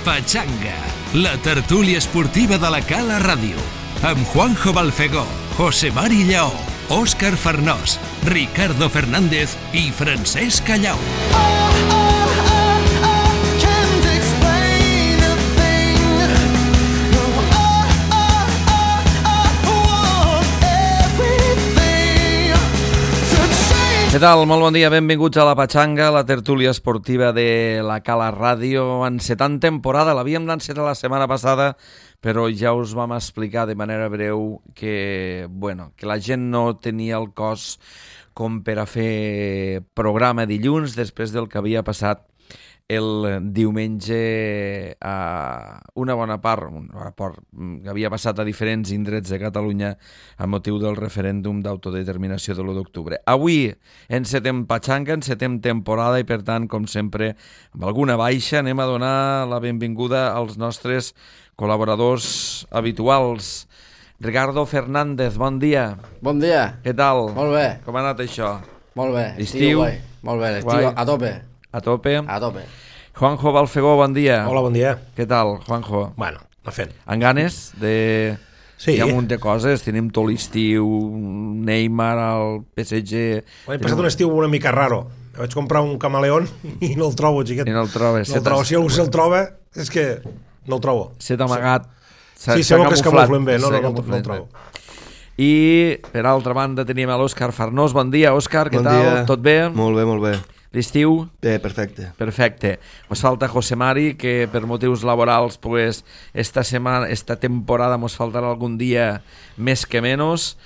Pachanga, la tertúlia esportiva de la Cala Ràdio, amb Juanjo Balfegó, José Mari Lleó, Òscar Farnós, Ricardo Fernández i Francesc Callau. Què tal? Molt bon dia, benvinguts a la Pachanga, la tertúlia esportiva de la Cala Ràdio. Encetant temporada, l'havíem d'encetar la setmana passada, però ja us vam explicar de manera breu que la gent no tenia el cos com per a fer programa dilluns després del que havia passat el diumenge a una bona part que havia passat a diferents indrets de Catalunya a motiu del referèndum d'autodeterminació de l'1 d'octubre. Avui encetem Pachanga, encetem temporada i per tant, com sempre, amb alguna baixa anem a donar la benvinguda als nostres col·laboradors habituals. Ricardo Fernández, bon dia. Bon dia. Què tal? Molt bé. Com ha anat això? Molt bé. Estiu? Molt bé, l'estiu a tope. A tope? A tope. Juanjo Balfegó, bon dia. Hola, bon dia. Què tal, Juanjo? Bueno, no fent. Amb ganes de... Sí. Hi ha un munt de coses, tenim tot l'estiu, Neymar, el PSG... He passat un estiu una mica raro. Vaig comprar un camaleón i no el trobo, xiquet. I no el trobes. No el trobo. Si algú se'l troba, és que no el trobo. S'ha amagat. Sí, segur que es camuflen bé. No el trobo. I, per altra banda, tenim l'Òscar Farnós. Bon dia, Òscar, què tal? Dia. Tot bé? Molt bé, molt bé. L'estiu? Bé, perfecte. Perfecte. Mos falta José Mari, que per motius laborals, pues, esta temporada mos faltarà algun dia més que menys,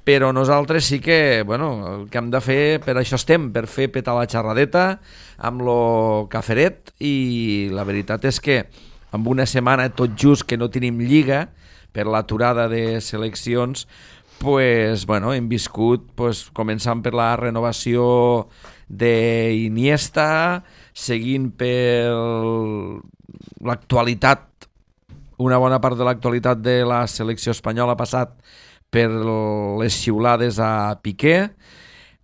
però nosaltres sí que, el que hem de fer, per això estem, per fer petar la xerradeta amb lo caferet, i la veritat és que amb una setmana tot just que no tenim lliga per l'aturada de seleccions, hem viscut, començant per la renovació d'Iniesta, seguint per l'actualitat, una bona part de l'actualitat de la selecció espanyola ha passat per les xiulades a Piqué,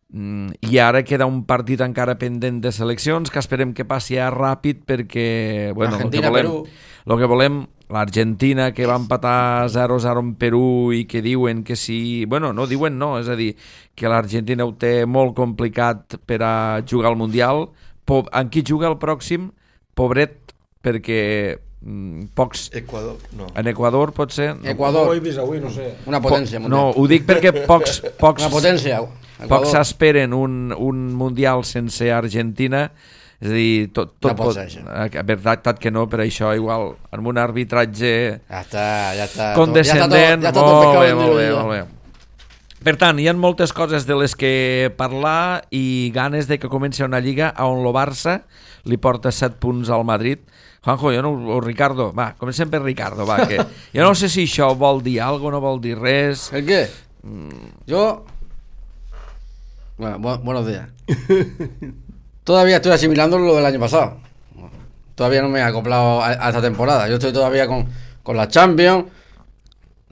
i ara queda un partit encara pendent de seleccions que esperem que passi ràpid perquè el que volem, l'Argentina que va empatar 0-0 en Perú i que diuen que sí, és a dir, que l'Argentina ho té molt complicat per a jugar al Mundial. En qui juga el pròxim? Pobret, perquè pocs... Equador, no. En Equador pot ser? Equador. Avui, no sé. Una potència mundial. No, ho dic perquè pocs una potència. Pocs s'esperen un Mundial sense Argentina. És a dir, tot no pot ser això. Veritat que no, per això igual amb un arbitratge ja està condescendent. Ja està tot molt bé. Per tant, hi ha moltes coses de les que parlar i ganes de que comenci una lliga on el Barça li porta 7 punts al Madrid. Juanjo, o Ricardo, comencem per Ricardo, que jo no sé si això vol dir alguna cosa, no vol dir res. ¿El qué? Yo... buenos días. Todavía estoy asimilando lo del año pasado. Todavía no me he acoplado a esta temporada. Yo estoy todavía con la Champions,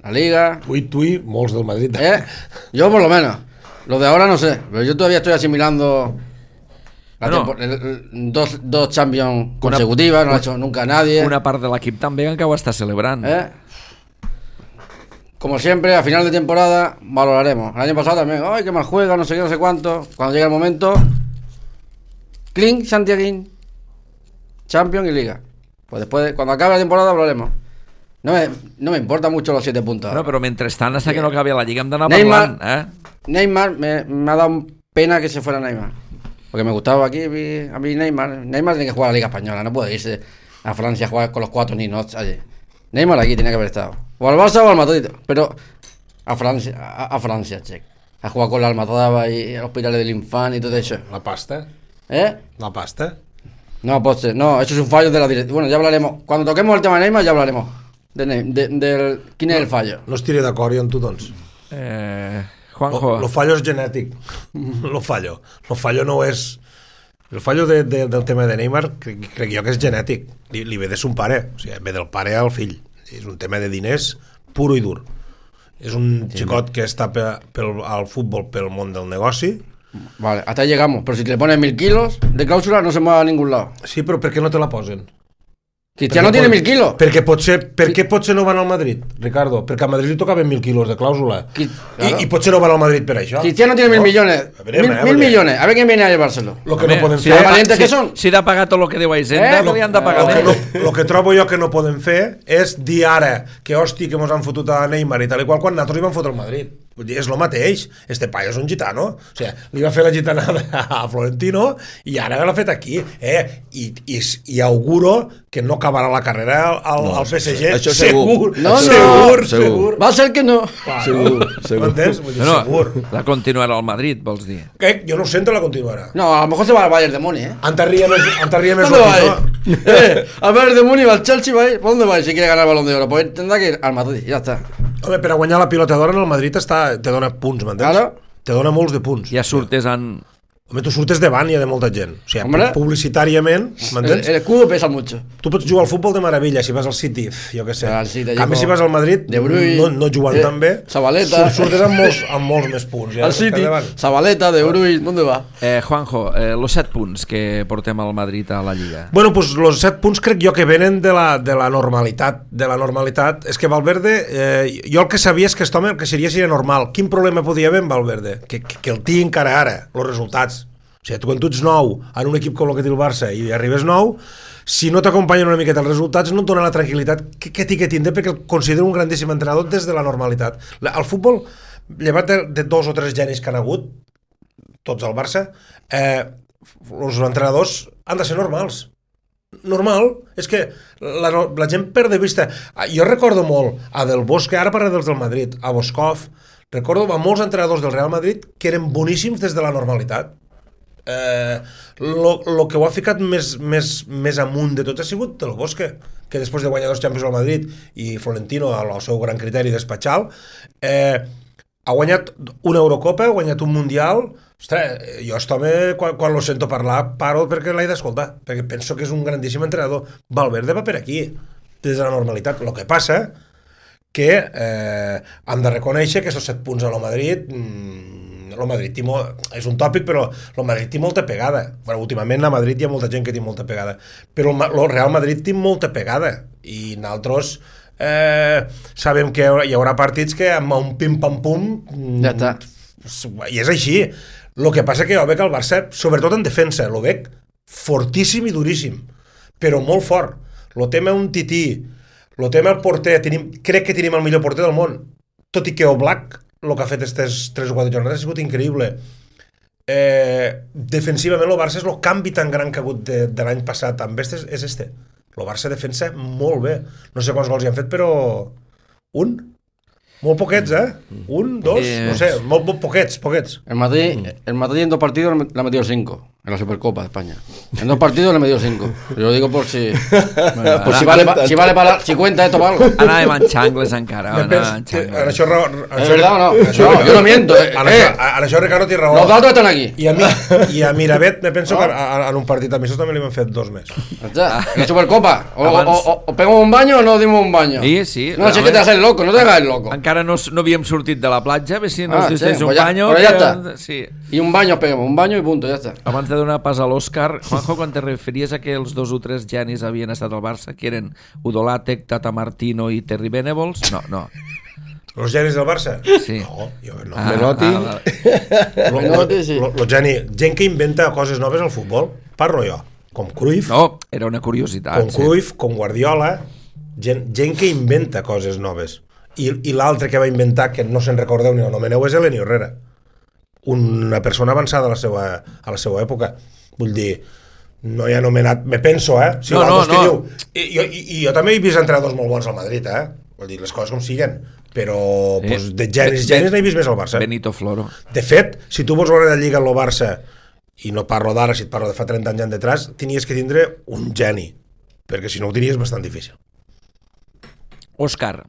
la Liga. Tu i molts del Madrid. Yo por lo menos. Los de ahora no sé, pero yo todavía estoy asimilando dos Champions consecutivas, no lo ha hecho nunca nadie. Una part de l'equip també encara ho està celebrant. Como siempre, a final de temporada valoraremos. El año pasado también, ¡ay, qué mal juega! No sé qué, no sé cuánto. Cuando llegue el momento... Clean, Santiaguín, Champions y Liga. Pues después, cuando acabe la temporada, hablaremos. No me importa mucho los 7 puntos. No, pero mientras tanto, hasta que no acabe la Liga, hem d'anar parlant. Neymar, me ha dado pena que se fuera Neymar. Porque me gustaba aquí, a mí Neymar. Neymar tiene que jugar a la Liga Española, no puede irse a Francia a jugar con los 4 niños allí. Neymar aquí tiene que haber estado. O al Barça o al Madrid. Pero a Francia, che. A jugar con la Almazaba y a Hospitales del Infant y todo eso. La pasta? La pasta? No, pues no, eso es un fallo de la directiva. Bueno, ya hablaremos. Cuando toquemos el tema de Neymar ya hablaremos. ¿Quién es el fallo? No estiré d'acord jo amb tu, doncs. Juanjo. Lo fallo és genètic. Lo fallo no és... El fallo del tema de Neymar crec jo que és genètic. Li ve de son pare. O sigui, ve del pare al fill. És un tema de diners puro i dur. És un xicot que està al futbol pel món del negoci. Vale, hasta ahí llegamos. Pero si te le pones 1000 kilos de cláusula no se mueve a ningún lado. Sí, però per què no te la posen? Cristiano tiene 1.000 kilos. Per què potser no van al Madrid, Ricardo? Perquè a Madrid li tocaven 1.000 quilos de clàusula. Claro. I potser no van al Madrid per això. Cristiano tiene 1.000 millones. Mil millones. A ver quién viene a llevárselo. Lo que no poden si fer... valientes que són. Si ha de pagar tot el que deu a Hisenda, li han de pagar més. Lo que trobo jo que no poden fer és dir ara que hosti que mos han fotut a Neymar i tal i qual quan nosaltres li van fotre al Madrid. Vull dir, és el mateix. Este paio és un gitano. O sigui, li va fer la gitanada a Florentino i ara l'ha fet aquí. I auguro que no acabarà la carrera al PSG. Això segur. Segur. Va a ser que no. Segur. M'entens? Vull dir, segur. La continuarà al Madrid, vols dir? Jo no ho sento, la continuarà. No, a lo mejor se va al Bayern de Múnich, Antarria més ¿Dónde va a Lotito. ir? Al Bayern de Múnich, al Chelsea va a ir. ¿Por dónde va a ir si quiere ganar el Balón de Oro? Pues tendrá que ir al Madrid, ya está. Home, per a guanyar la pilota d'or en el Madrid te dona punts, m'entens? Claro. Te dona molts de punts. Ja surtes en... Home, tu surtes davant, hi ha de molta gent. O sigui, Hombre. publicitàriament, m'entens? El escudo pesa mucho. Tu pots jugar al futbol de meravella si vas al City, jo què sé. Al City, En canvi, si vas al Madrid, De Bruyne, no jugant tan bé, Zabaleta. surtes amb molts més punts. Ja, Al City, davant. Zabaleta, De Bruyne, ¿dónde va? Juanjo, los 7 punts que portem al Madrid a la Lliga. Bueno, pues los 7 punts crec jo que venen de la normalitat. De la normalitat. És que Valverde, jo el que sabia és que aquest home el que seria normal. Quin problema podia haver amb Valverde? Que el tinc encara ara, els resultats. O sigui, quan tu ets nou en un equip com el que té el Barça i arribes nou, si no t'acompanyen una miqueta els resultats no et dona la tranquil·litat que tindre perquè el considero un grandíssim entrenador des de la normalitat. El futbol, llevat de 2 o 3 genis que han hagut, tots al Barça, els entrenadors han de ser normals. Normal, és que la gent perd de vista. Jo recordo molt a Del Bosque, ara parla dels del Madrid, a Boscov, recordo a molts entrenadors del Real Madrid que eren boníssims des de la normalitat. Lo que ho ha ficat més amunt de tot ha sigut Del Bosque, que després de guanyar 2 Champions al Madrid i Florentino al seu gran criteri despatxal ha guanyat una Eurocopa, ha guanyat un Mundial. Ostres, jo quan lo sento parlar paro perquè l'he d'escoltar, perquè penso que és un grandíssim entrenador. Valverde va per aquí des de la normalitat. El que passa que hem de reconèixer que aquests 7 punts a lo Madrid el Madrid és un tòpic, però el Madrid té molta pegada. Bueno, últimament a Madrid hi ha molta gent que té molta pegada, però el Real Madrid té molta pegada i nosaltres sabem que hi haurà partits que amb un pim-pam-pum Ja està. I és així. El que passa que jo veig el Barça, sobretot en defensa, el veig fortíssim i duríssim, però molt fort. El tema un tití, el tema el porter, crec que tenim el millor porter del món, tot i que Oblak el que ha fet aquestes 3 o 4 jornades ha sigut increïble. Defensivament el Barça és el canvi tan gran que ha hagut de l'any passat amb este és este. El Barça defensa molt bé. No sé quants gols hi han fet, però un? Molt poquets, Un, dos, no sé, molt poquets. El Madrid en 2 partidos le ha metido 5 en la Supercopa de España. En 2 partidos le ha metido 5. Yo lo digo por si si cuenta esto para algo. Anàvem en xangles encara. En això ¿Es verdad o no? No, yo no miento. En això Ricardo té raó. Los datos están aquí. I a Miravet me penso que en un partit amistós també li han fet 2 més. Ya, la Supercopa. O pegamos un baño o no dimos un baño. Sí. No, si que te haces loco, no te hagas el loco. Encara no havíem sortit de la platja, a veure si nos distens un pues baño. Pero ya está. Sí. Y un baño pegamos, un baño y punto, ya está. Abans de donar pas a l'Òscar, Juanjo, quan te referies a que els 2 o 3 genis havien estat al Barça, que eren Udolàtec, Tata Martino i Terry Venables? No. Els genis del Barça? Sí. No, jo no. Menotti. Gent que inventa coses noves al futbol, parlo jo, com Cruyff, No, era una curiositat. com Cruyff, com Guardiola, gent que inventa coses noves. I l'altre que va inventar, que no se'n recordeu ni el nomeneu, és Eleni Herrera. Una persona avançada a la seva època. Vull dir, no hi ha anomenat... Me penso, Si No. I jo també he vist entrenadors molt bons al Madrid, Vull dir, les coses com siguen. Però pues, de genis n'he vist més al Barça. Benito Floro. De fet, si tu vols veure la Lliga en el Barça, i no parlo d'ara, si et parlo de fa 30 anys detrás, tenies que tindre un geni, perquè si no ho tenies bastant difícil. Òscar.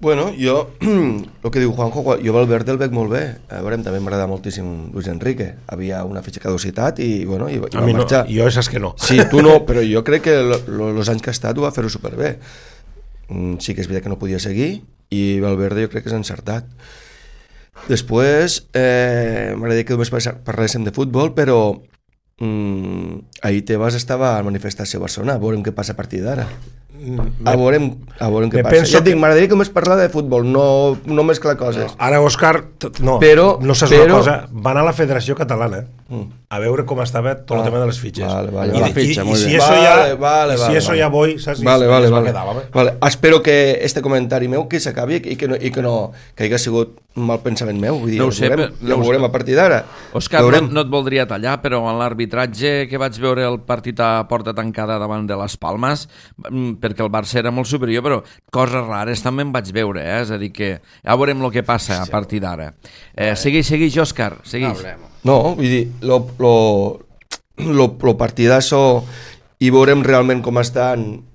Bueno, jo, el que diu Juanjo, jo Valverde el veig molt bé. A veure, també m'agrada moltíssim Luis Enrique. Havia una fitxa caducitat i va marxar. Jo saps que no. Sí, tu no, però jo crec que els anys que ha estat ho va fer-ho superbé. Sí que és veritat que no podia seguir i Valverde jo crec que és encertat. Després, m'agradaria que només parléssim de futbol, però ahir Tebas estava a manifestació a Barcelona, veurem què passa a partir d'ara. A veurem què passa. Ja et dic, m'agradaria que només parlar de futbol, no mesclar coses. Ara, Òscar, no saps una cosa, van a la Federació Catalana a veure com estava tot el tema de les fitxes. I si eso ya voy, saps? Vale. Espero que este comentari meu que s'acabi i que hagi sigut un mal pensament meu, vull dir, no ho sé, ho veurem a partir d'ara. Òscar, no et voldria tallar, però en l'arbitratge que vaig veure el partit a porta tancada davant de les Palmes, perquè el Barça era molt superior, però coses rares també en vaig veure, és a dir que ja veurem el que passa a partir d'ara. Segueix, Òscar, segueix. No, vull dir, lo partidazo i veurem realment com estan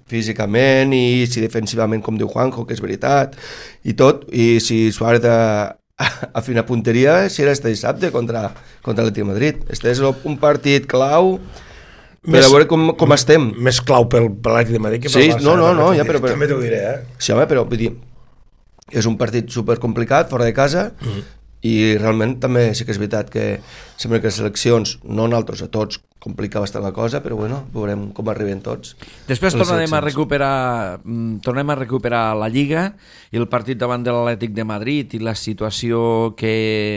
físicament i si defensivament, com diu Juanjo, que és veritat i tot, i si Suárez afina punteria serà este dissabte contra l'Atlètic de Madrid. Este és un partit clau per a veure com estem. Més clau per l'Atlètic de Madrid que per el Barça. No, ja, però també t'ho diré, Sí, home, però vull dir, és un partit supercomplicat, fora de casa, i realment també sí que és veritat que sembla que les seleccions, no nosaltres, a tots, complica bastant la cosa, però bueno, veurem com arriben tots. Després tornem a recuperar la Lliga i el partit davant de l'Atlètic de Madrid i la situació que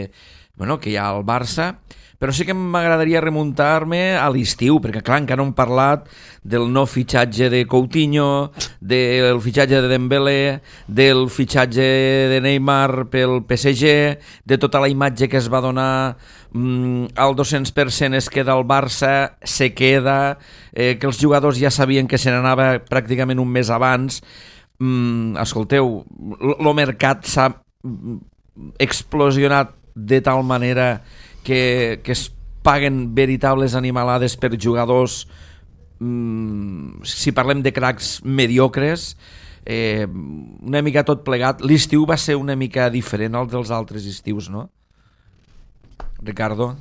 hi ha al Barça, però sí que m'agradaria remuntar-me a l'estiu, perquè clar, encara no hem parlat del nou fitxatge de Coutinho, del fitxatge de Dembélé, del fitxatge de Neymar pel PSG, de tota la imatge que es va donar al 200% es queda al Barça, se queda, que els jugadors ja sabien que se n'anava pràcticament un mes abans. Escolteu, el mercat s'ha explosionat de tal manera que es paguen veritables animalades per jugadors, si parlem de cracs mediocres, una mica tot plegat. L'estiu va ser una mica diferent al dels altres estius, no? Ricardo?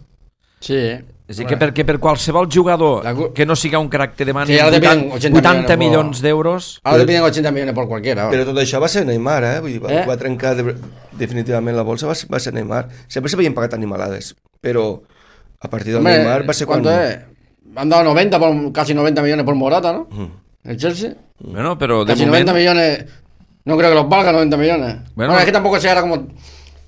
Sí. És a dir, que per qualsevol jugador que no siga un crac te demani 80 milions d'euros. Ara te piden 80 milions per qualsevol. Però tot això va ser Neymar, vull dir, va trencar definitivament la bolsa, va ser Neymar. Sempre s'havien pagat animalades, però a partir del Neymar va ser quan... Han dado casi 90 millones por Morata, ¿no? El Chelsea. Bueno, pero de casi momento... 90 millones, no creo que los valga 90 millones. Bueno, es que tampoco se hará como...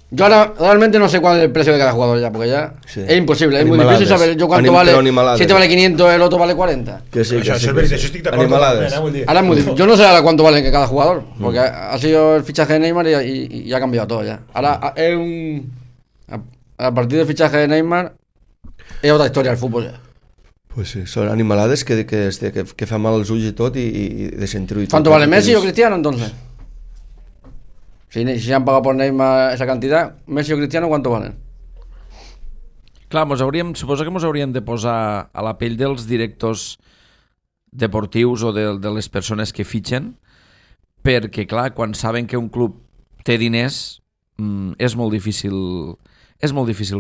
Yo ahora realmente no sé cuál es el precio de cada jugador ya, porque ya es imposible, es muy difícil saber yo cuánto vale. Si este vale 500, el otro vale 40. Que sí, eso estic d'acord. Ahora es muy difícil. Yo no sé ahora cuánto vale cada jugador, porque ha sido el fichaje de Neymar y ha cambiado todo ya. Ahora es a partir del fichaje de Neymar es otra historia el fútbol ya. Pues sí, son animalades que fa mal als ulls i tot i de sentir-ho i tot. ¿Cuánto vale Messi o Cristiano entonces? Si han pagado por Neymar esa cantidad, Messi o Cristiano, ¿cuánto valen? Clar, suposo que ens hauríem de posar a la pell dels directors deportius o de les persones que fitxen, perquè, clar, quan saben que un club té diners, és molt difícil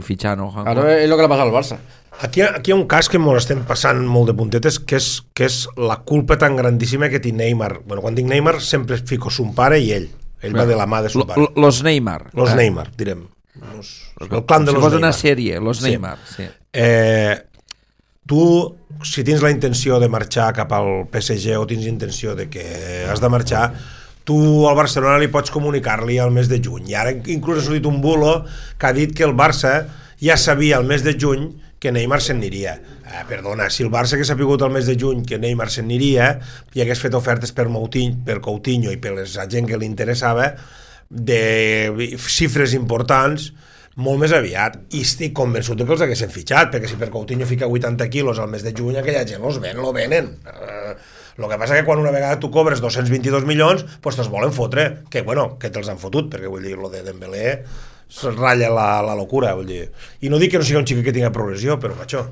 fitxar, no? Claro, es lo que le pasa al Barça. Aquí hi ha un cas que ens estem passant molt de puntetes, que és la culpa tan grandíssima que té Neymar. Bueno, quan dic Neymar sempre fico son pare i ell. Ell va de la mà de son pare. Los Neymar. Los Neymar, direm. El clan de los Neymar. Si fos una sèrie, los Neymar. Sí. Tu, si tens la intenció de marxar cap al PSG o tens intenció de que has de marxar, tu al Barcelona li pots comunicar-li al mes de juny. I ara inclús ha sortit un bulo que ha dit que el Barça ja sabia al mes de juny que Neymar se'n aniria. Perdona, si el Barça hagués sapigut al mes de juny que Neymar se'n aniria i hagués fet ofertes per Coutinho i per la gent que li interessava de xifres importants molt més aviat, i estic convençut que els haguessin fitxat, perquè si per Coutinho fica 80 quilos al mes de juny, aquella gent lo venen. El que passa que quan una vegada tu cobres 222 milions, pues te'ls volen fotre, que te'ls han fotut, perquè vull dir, lo de Dembélé se'ls ratlla la locura, vull dir. I no dic que no sigui un xic que tingui progressió, però macho.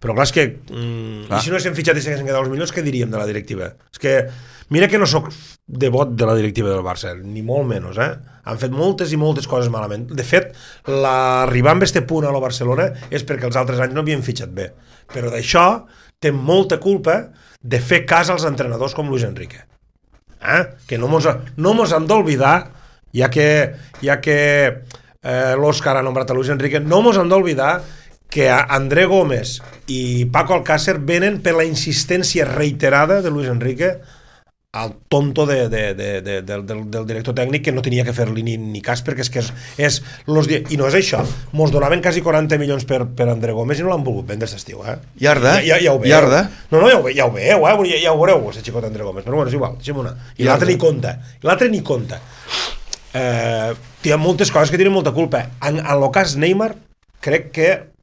Però clar, és que i si no haguéssim fitxat i s'haguessin quedat els milions, què diríem de la directiva? És que mira que no sóc devot de la directiva del Barça, ni molt menys, han fet moltes i moltes coses malament. De fet, l'arribar amb este punt a la Barcelona és perquè els altres anys no havien fitxat bé, però d'això té molta culpa de fer cas als entrenadors com Luis Enrique, que no mos hem d'oblidar, ja que l'Òscar ha nombrat a Luis Enrique, no mos hem d'oblidar que André Gómez i Paco Alcácer venen per la insistència reiterada de Luis Enrique al tonto del director tècnic, que no tenia que fer-li ni cas, perquè és i no és això, mos donaven quasi 40 milions per André Gómez i no l'han volgut vendre aquest estiu, Iarda. Ja ho veieu. Iarda. No, ja ho veieu, ja ho veureu, aquest xicot André Gómez, però bueno, és igual, deixem una. I l'altre ni compta. Hi ha moltes coses que tenen molta culpa. En el cas Neymar, crec que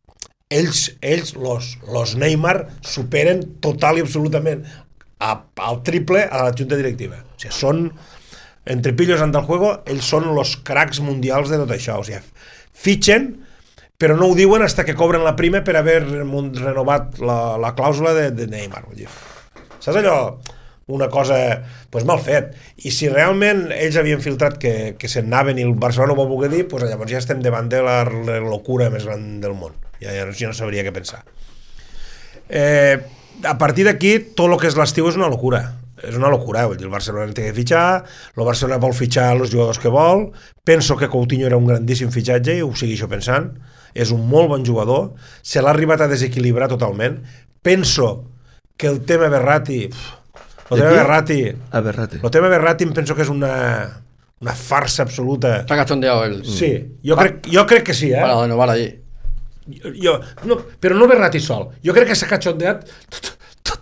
ells los Neymar superen total i absolutament al triple a la junta directiva. O sigui, són, entre pillos ante el juego, ells són los cracs mundials de tot això. O sigui, fitxen, però no ho diuen hasta que cobren la prima per haver renovat la clàusula de Neymar. Saps allò? Una cosa pues, mal fet. I si realment ells havien filtrat que se'n anaven i el Barcelona ho va voler dir, pues, llavors ja estem davant de la locura més gran del món. Ja no sabria què pensar. A partir d'aquí, tot el que és l'estiu és una locura. És una locura. Vull dir, el Barcelona té que fitxar, el Barcelona vol fitxar els jugadors que vol. Penso que Coutinho era un grandíssim fitxatge i ho segueixo pensant. És un molt bon jugador. Se l'ha arribat a desequilibrar totalment. Penso que el tema Verratti... El tema Verratti em penso que és una farsa absoluta. Està cachondeado él. Sí, jo crec que sí, Para renovar allí. Però no Verratti sol. Jo crec que s'ha cachondeat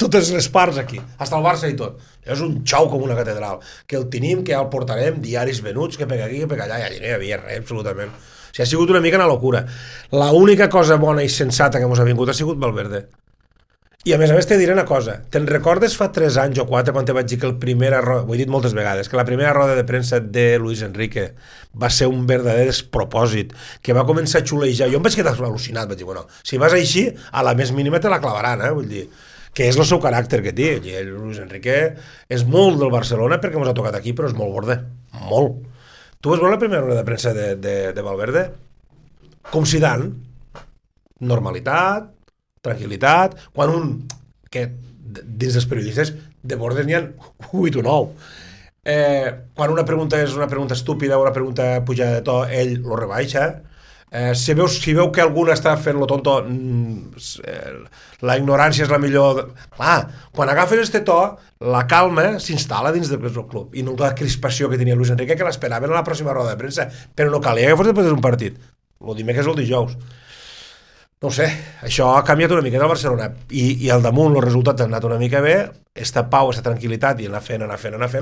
totes les parts aquí, hasta el Barça i tot. És un xau com una catedral, que el tenim, que ja el portarem, diaris venuts, que pega aquí, que pega allà, i allà no hi havia res, absolutament. O sigui, ha sigut una mica una locura. L'única cosa bona i sensata que ens ha vingut ha sigut Valverde. I a més te diré una cosa, te'n recordes fa 3 anys o 4 quan te vaig dir que ho he dit moltes vegades, que la primera roda de premsa de Luis Enrique va ser un verdader despropòsit, que va començar a xulejar, jo em vaig quedar al·lucinat, vaig dir, bueno, si vas així, a la més mínima te la clavaran, vull dir, que és el seu caràcter que té. Luis Enrique és molt del Barcelona perquè ens ha tocat aquí, però és molt borde, molt. Tu vas veure la primera roda de premsa de Valverde? Com Zidane, normalitat, tranquil·litat, quan que dins dels periodistes de bordes n'hi ha 8 o 9. Quan una pregunta és una pregunta estúpida o una pregunta pujada de to, ell lo rebaixa. Si veu que algú està fent lo tonto, la ignorància és la millor. Quan agafes este to, la calma s'instal·la dins del club i no la crispació que tenia Luis Enrique, que l'esperaven a la pròxima roda de premsa, però no calia que fos després d'un partit. El dimecres o el dijous. No ho sé, això ha canviat una mica del Barcelona i al damunt els resultats han anat una mica bé, esta pau, esta tranquil·litat i anar fent,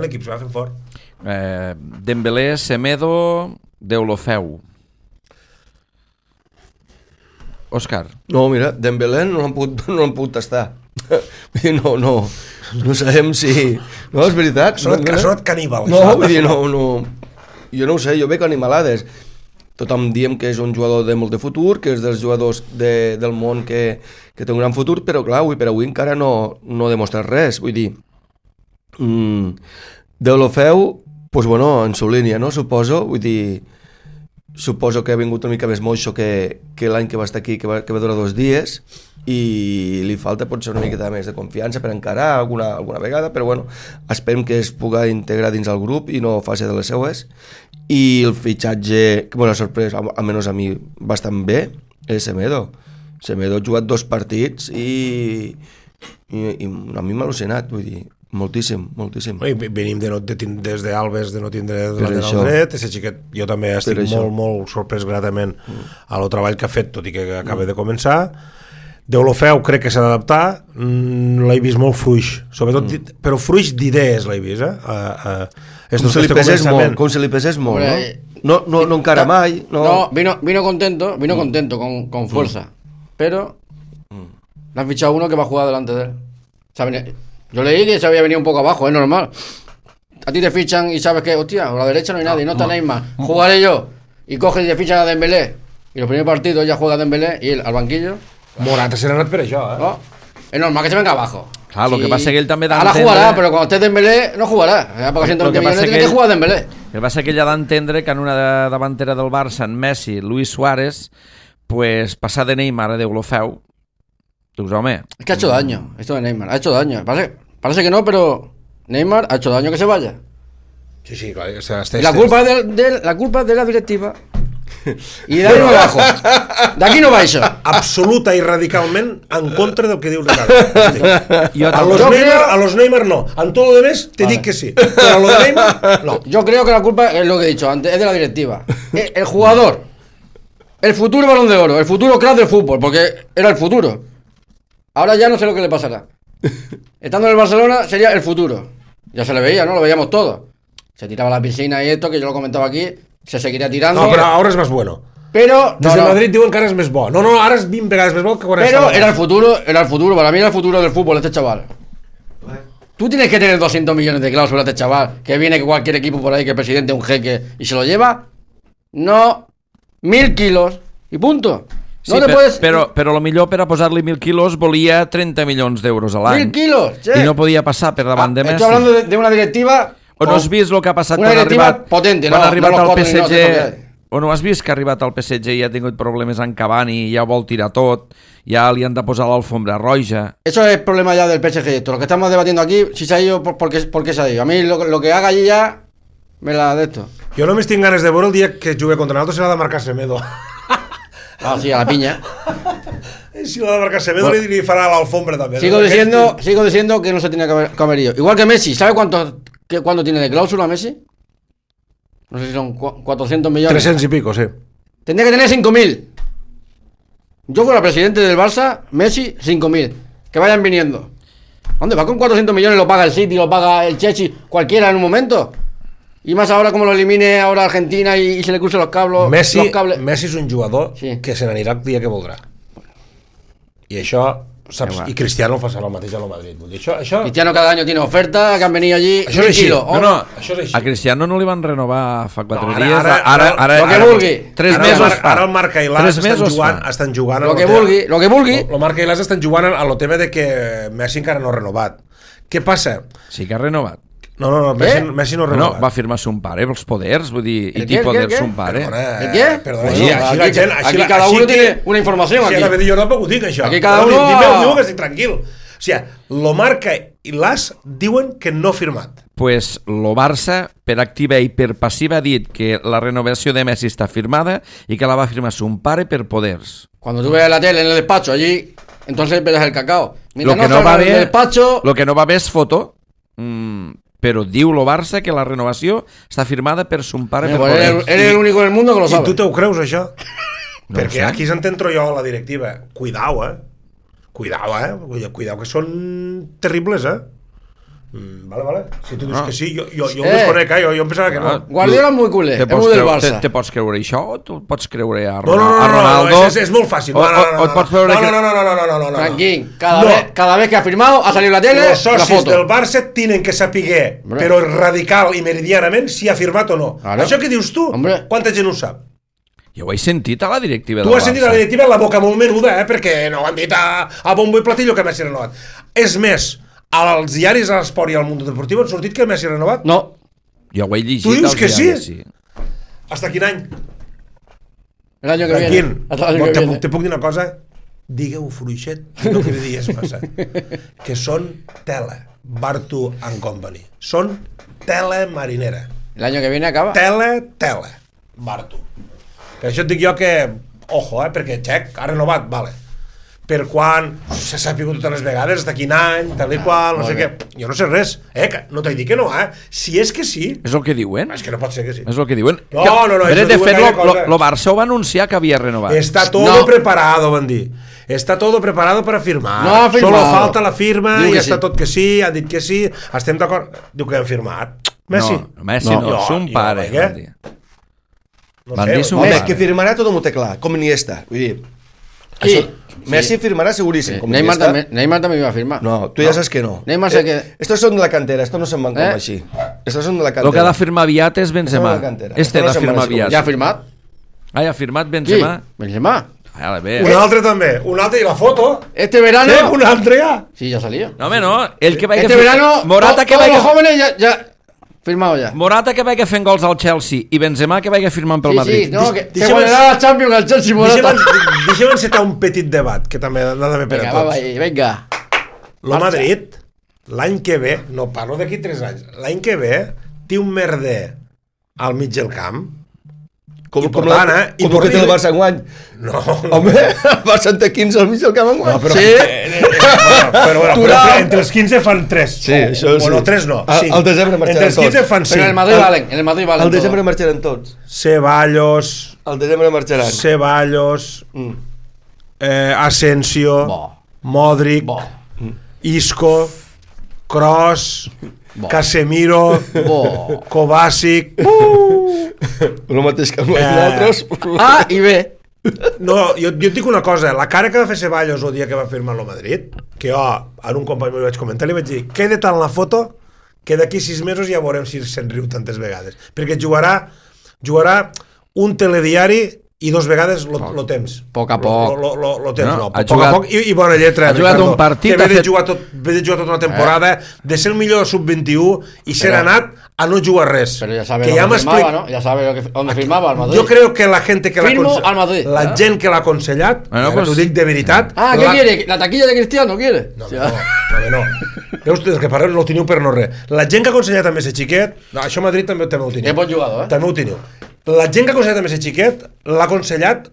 l'equip s'ho va fent fort. Dembélé, Semedo, Deulofeu. Òscar. No, mira, Dembélé no han pogut tastar. No sabem si... No, és veritat. Ha sonat caníbal. No, vull dir, no. Jo no ho sé, jo veig animalades. Tothom diem que és un jugador de molt de futur, que és dels jugadors del món que té un gran futur, però clar, per avui encara no ha demostrat res. Vull dir, Deulofeu, doncs bueno, en su línia, no? Suposo que ha vingut una mica més moixo que l'any que va estar aquí, que va durar 2 dies, i li falta potser una miqueta més de confiança per encarar alguna vegada, però bueno, esperem que es pugui integrar dins el grup i no faci de les seues. I el fitxatge que m'ha sorprès, almenys a mi bastant bé, és Semedo. Semedo ha jugat 2 partits i a mi m'ha al·lucinat, vull dir, moltíssim. Venim des d'Albes de no tindre lateral dret, aquest xiquet jo també estic molt sorprès gratament al treball que ha fet, tot i que acaba de començar. Deulofeu crec que s'ha d'adaptar, l'he vist molt fluix, sobretot, però fluix d'idees l'he vist, com se li pesés molt, no encara mai. No, vino contento con fuerza, pero le han fichado uno que va a jugar delante de él. Yo leí que se había venido un poco abajo, es normal. A ti te fichan y sabes que, hostia, a la derecha no hay nadie, no está Neymar, jugaré yo, y cogen y te fichan a Dembélé, y los primeros partidos ya juega Dembélé y él al banquillo. Morata se n'ha anat per això, No, es normal que se venga abajo. Claro, lo que pasa es que él també ahora jugará, pero cuando esté Dembélé no jugará. Porque 120 millones tiene que jugar Dembélé. El que passa que ell ha d'entendre que en una davantera del Barça, en Messi, Luis Suárez, pues passar de Neymar a Deulofeu, dius, home... Es que ha hecho daño, esto de Neymar, ha hecho daño. Parece que no, pero Neymar ha hecho daño que se vaya. Sí, claro. La culpa es de la directiva I d'ahí no bajo. D'aquí no baixo. Absoluta i radicalment en contra del que diu Ricardo. Jo A los Neymar no. En todo lo demás te dic que sí. Pero a lo de Neymar, no. Yo creo que la culpa es lo que he dicho antes, es de la directiva. El jugador, el futuro Balón de Oro, el futuro crack del fútbol, porque era el futuro. Ahora ya no sé lo que le pasará. Estando en el Barcelona sería el futuro. Ya se le veía, ¿no? Lo veíamos todo. Se tiraba a la piscina y esto, que yo lo comentaba aquí, se seguiría tirando. No, però ara és més bueno. Pero Des de Madrid diuen que ara és més bo. No, ara és 20 vegades més bo que quan pero estava. era el futuro, para mí era el futuro del fútbol este chaval. Tú tienes que tener 200 millones de cláusulas este chaval, que viene que cualquier equipo por ahí, que el presidente es un jeque y se lo lleva. No, 1000 kilos y punto. No sí, te puedes... però lo millor per a posar-li 1.000 quilos volia 30 milions d'euros a l'any. 1000 kilos, che. I no podia passar per davant de Messi. Estoy hablando de una directiva... O no has vist el que ha passat una quan ha directiva arribat, potente, quan no, ha arribat no al los cuatro ni PSG? los cinco O no has vist que ha arribat al PSG i ha tingut problemes amb Cavani i ja vol tirar tot, ja li han de posar l'alfombra roja? Eso es el problema ya del PSG. Esto, lo que estamos debatiendo aquí, si se ha ido, ¿por qué se ha ido? A mí lo que haga allí ya, me la de esto. Jo només tinc ganes de veure el dia que jugui contra nosaltres serà de marcar Semedo. Ah, sí, a la piña. Si l'ha de marcar Semedo li farà l'alfombra també. Sigo diciendo que no se tenía que haber ido. Igual que Messi, ¿sabe cuánto tiene de cláusula Messi? No sé si son 400 millones. 300 y pico, sí. Tendría que tener 5.000. Yo fuera presidente del Barça, Messi, 5.000. Que vayan viniendo. ¿Dónde va con 400 millones? Lo paga el City, lo paga el Chelsea, cualquiera en un momento. Y más ahora como lo elimine ahora Argentina y se le crucen los cables. Messi és un jugador sí, que se n'anirà el dia que voldrà. I això, saps? I Cristiano farà el mateix a lo Madrid. Vull dir, això... Cristiano cada año tiene ofertas que han venido allí. Això és així. Això és així. A Cristiano no li van renovar fa 4 dies. Ara, lo que vulgui. 3 mesos fa. Ara el Marc i l'As estan jugant... Lo que vulgui. El Marc i l'As estan jugant a lo tema de que Messi encara no ha renovat. Què passa? Sí que ha renovat. No, Messi no ha renovat. No, va firmar son pare pels poders, vull dir, i té poders son pare. ¿El qué? Perdona, aquí cada uno tiene una información. Si ara jo no puc dir això. Aquí cada uno... Diu que estic tranquil. O sigui, lo Marca i l'As diuen que no ha firmat. Pues lo Barça, per activa i per passiva, ha dit que la renovació de Messi està firmada i que la va firmar son pare per poders. Cuando tú ves la tele en el despacho allí, entonces verás el cacao. Lo que no va ver és foto, però diu lo Barça que la renovació està firmada per son pare per poders. Eres el único del mundo que lo sabe. I tu te ho creus, això? No perquè aquí s'ententro jo a la directiva. Cuidao, Cuidao, que són terribles, Vale. Si tu dius que sí, jo ho desconec, jo em pensava que no. Guardiola és molt culé, és molt del Barça. Te pots creure això o tu pots creure a Ronaldo? No, és molt fàcil. No. Tranquil, cada vez que ha firmado ha salido la tele, los socis del Barça tienen que saber, però radical i meridianament, si ha firmat o no. Això que dius tu, quanta gent ho sap? Jo ho he sentit a la directiva del Barça. Tu has sentit a la directiva la boca molt menuda, perquè no ho han dit a bombo i platillo que Messi ha renovat. És més, als diaris, a l'Esport i al Mundo Deportivo han sortit que Messi ha renovat? No. Jo ho he llegit. Tu dius que sí? Hasta quin any? L'any que viene. Te puc dir una cosa? Digueu fluixet, no que dies passat. Que són tela, Bartu and Company. Són tela marinera. L'any que viene acaba. Tela, Bartu. Per això et dic jo que, ojo, perquè Txec ha renovat, vale. Per quan s'ha sapigut totes les vegades, de quin any, tal i qual, no sé què. Jo no sé res, no t'he dit que no, Si és que sí... És el que diuen? És que no pot ser que sí. És el que diuen? No. De fet, lo Barça ho va anunciar que havia renovat. Está todo preparado, van dir. Está todo preparado para firmar. No ha firmado. Solo falta la firma i està tot que sí, han dit que sí, estem d'acord. Diu que han firmat. Messi? No, Messi no, son pare. Van dir home, que firmarà tot m'ho té clar, com Iniesta. Vull dir, això, Messi firmarà seguríssim. Neymar també va firmar. No, tu ja saps que no. Neymar sé que... Estos són de la cantera, estos no se'n van com així. Estos són de la cantera. Lo que ha de firmar aviat és Benzema. Este ha de firmar aviat. Ja ha firmat? Ah, ja ha firmat Benzema? Sí, Benzema. Un altre també, un altre, i la foto. Este verano... Un altre ja. Sí, ja salía. No, home, no. El que vaya este verano, Morata que todos los jóvenes ya... Firmado ya. Morata que vaya fent gols al Chelsea i Benzema que vaya firmant pel Madrid. Sí, no, que se guanyarà la Champions al Chelsea, Morata. Deixem encetar un petit debat, que també ha d'haver per a tots. Venga. Lo Madrid, l'any que ve, no parlo d'aquí 3 anys, l'any que ve, té un merder al mig del camp, Important, Com que té el Barça enguany. No. Home, el Barça en té 15 al mig del camp enguany. No, però, Sí. però entre els 15 fan 3. Sí, això sí. Bueno, 3 no, 5. Al desembre marxaran entre els 15 tots. fan 5. Pero en el Madrid valen. Al desembre marxaran tots. Ceballos, Al desembre marxaran. Ceballos, Asensio, Modric, Isco, Kroos, Casemiro, Kovacic. El mateix que amb nosaltres. A i B. No, jo et dic una cosa, la cara que va fer Ceballos el dia que va firmar el Madrid, que jo a un company m'ho vaig comentar, li vaig dir, queda tant la foto que d'aquí 6 mesos ja veurem si se'n riu tantes vegades, perquè jugarà un telediari i 2 vegades lo temps. Poc a poc. Lo temps, no. Ha Poc jugat, a poc i bona lletra. Ha jugat Ricardo, un partit, que ve de jugar tota una temporada, de ser el millor sub-21 i ser anat a no jugar res. Pero ya sabe que dónde firmaba, ¿no? Ya sabe dónde firmaba al Madrid. Yo creo que la gente que Firmo al Madrid. la gent que l'ha aconsellat, Bueno, pues, t'ho dic de veritat. ¿Qué quiere? ¿La taquilla de Cristiano quiere? No, no. Veus, els que parleu no ho teniu per no res. La gent que ha aconsellat també ser xiquet, no, això a Madrid també ho teniu. És bon jugador, També ho teniu. La gent que ha aconsellat també ser xiquet, l'ha aconsellat,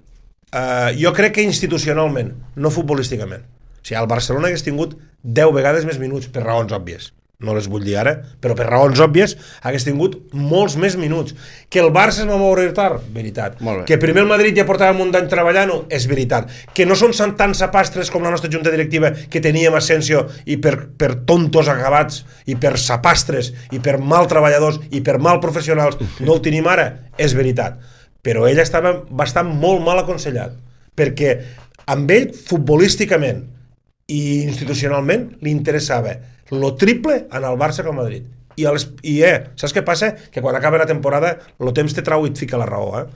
jo crec que institucionalment, no futbolísticament. O sigui, el Barcelona hagués tingut 10 vegades més minuts, per raons òbvies. No les vull dir ara, però per raons òbvies hagués tingut molts més minuts. Que el Barça es va moure tard, veritat. Que primer el Madrid ja portava un any treballant-ho, és veritat. Que no són tan sapastres com la nostra junta directiva que teníem Asensio i per tontos acabats i per sapastres i per mal treballadors i per mal professionals no el tenim ara, és veritat. Però ell va estar molt mal aconsellat, perquè amb ell futbolísticament i institucionalment li interessava lo triple en el Barça que al Madrid. Saps què passa? Que quan acaba la temporada el temps te trau i et fica la raó.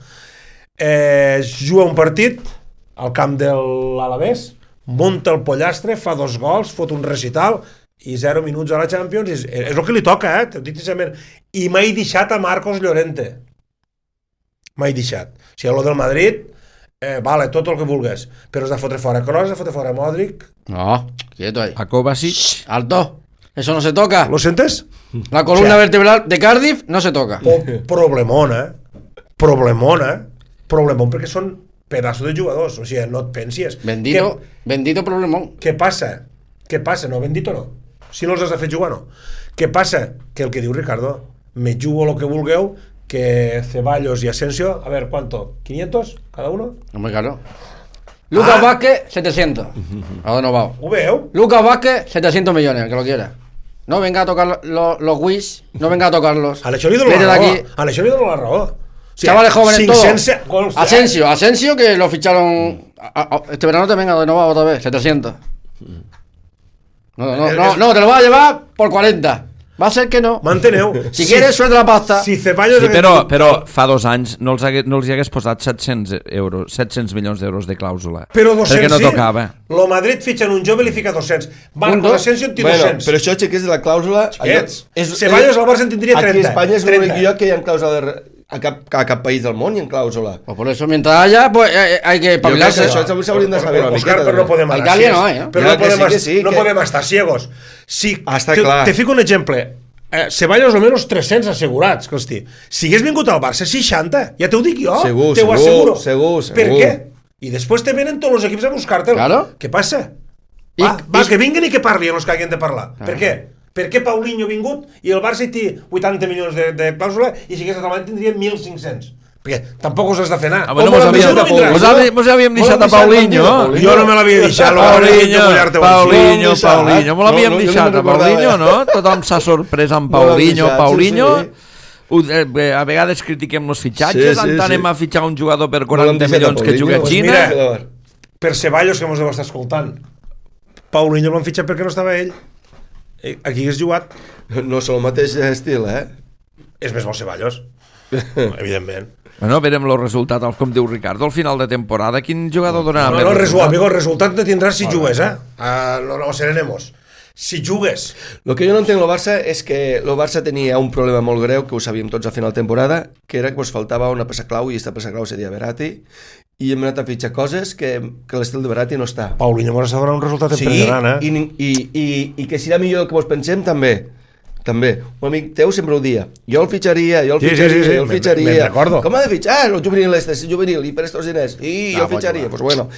Juga un partit al camp de l'Alavés, munta el pollastre, fa 2 gols, fot un recital i 0 minuts a la Champions. És el que li toca, t'ho dic sincerament. I m'he deixat a Marcos Llorente. M'he deixat. O sigui, lo del Madrid, vale, tot el que vulgues, però has de fotre fora Kroos, has de fotre fora Modric. No, quieto ahí. A Kovacic. Alto. Eso no se toca. ¿Lo sientes? La columna vertebral de Cardiff no se toca. Problemón perquè són pedazos de jugadors, o sigui, no et pensis. Bendito problemón. Què passa? No, bendito no. Si no els has de fer jugar, no. Què passa? Que el que diu Ricardo, me jugo lo que vulgueu, que Ceballos y Asensio, a ver, ¿cuánto? ¿500 cada uno? Hombre, claro. Lucas Vázquez, 700. ¿A dónde nos vamos? ¿Ho veu? Lucas Vázquez, 700 millones, que lo quiera. No venga a tocar los Wish, no venga a tocarlos. A l'Això li dono la raó. O sea, chavales jóvenes todos. Gols, Asensio, que lo ficharon este verano te venga de nuevo otra vez, 700. No, te lo vas a llevar por 40. Va a ser que no. Manteneu. Si quieres, suelta la pasta. Si Ceballos... Sí, però fa 2 anys no els hi hagués posat 700 milions d'euros de clàusula. Però 200 perquè no tocava. Lo Madrid fitxa un jove i li fica 200. Marco Asensio en té 200. Però això, xiquets, de la clàusula... Ceballos al Barça en tindria 30. Aquí a Espanya és l'únic lloc que hi ha clàusula a cap país del món hi ha clàusula. Pues por eso, mientras haya, pues hay que espabilarse. Això s'haurien de saber una miqueta. Però no podem anar Italia no hay, però no podem estar ciegos. Està clar. Te fico un exemple. Ceballos almenys 300 assegurats, Cristi. Si hagués vingut al Barça 60, ja t'ho dic jo. Segur. Per què? I després te venen tots els equips a buscar-te'l. Claro. Què passa? Va, que vinguen i que parlin els que hagin de parlar. Per què? Per què Paulinho ha vingut i el Barça hi té 80 milions de clàusula i si hagués acabat tindria 1.500? Perquè tampoc us has de fer anar. Mos havíem deixat a Paulinho. Jo no me l'havia deixat. Paulinho. Mos l'havíem deixat a Paulinho, no? Tothom s'ha sorprès amb Paulinho. A vegades critiquem els fitxatges, anem a fitxar un jugador per 40 milions que juga a Xina. Per Ceballos, que mos deu estar escoltant, Paulinho l'han fitxat perquè no estava ell. Aquí hagués jugat. No són el mateix estil, És més bo Ceballos, evidentment. Bueno, verem el resultat, com diu Ricardo, al final de temporada. Quin jugador donarà més resultat? El resultat no tindràs si jugues, no serenemos. Si jugues. El que jo no entenc del Barça és que el Barça tenia un problema molt greu, que ho sabíem tots a final de temporada, que era que us faltava una peça clau, i aquesta peça clau seria Verratti, i hem anat a fitxar coses que l'estil de Verratti no està. Paulinho m'ha donat un resultat impressionant, I que serà millor del que vos pensem, també. també, un amic teu sempre ho dia, jo el fitxaria, Sí, jo el fitxaria. me'n recordo. Com ha de fitxar? El juvenil és juvenil, i per estos diners, i jo el fitxaria. Pues bueno,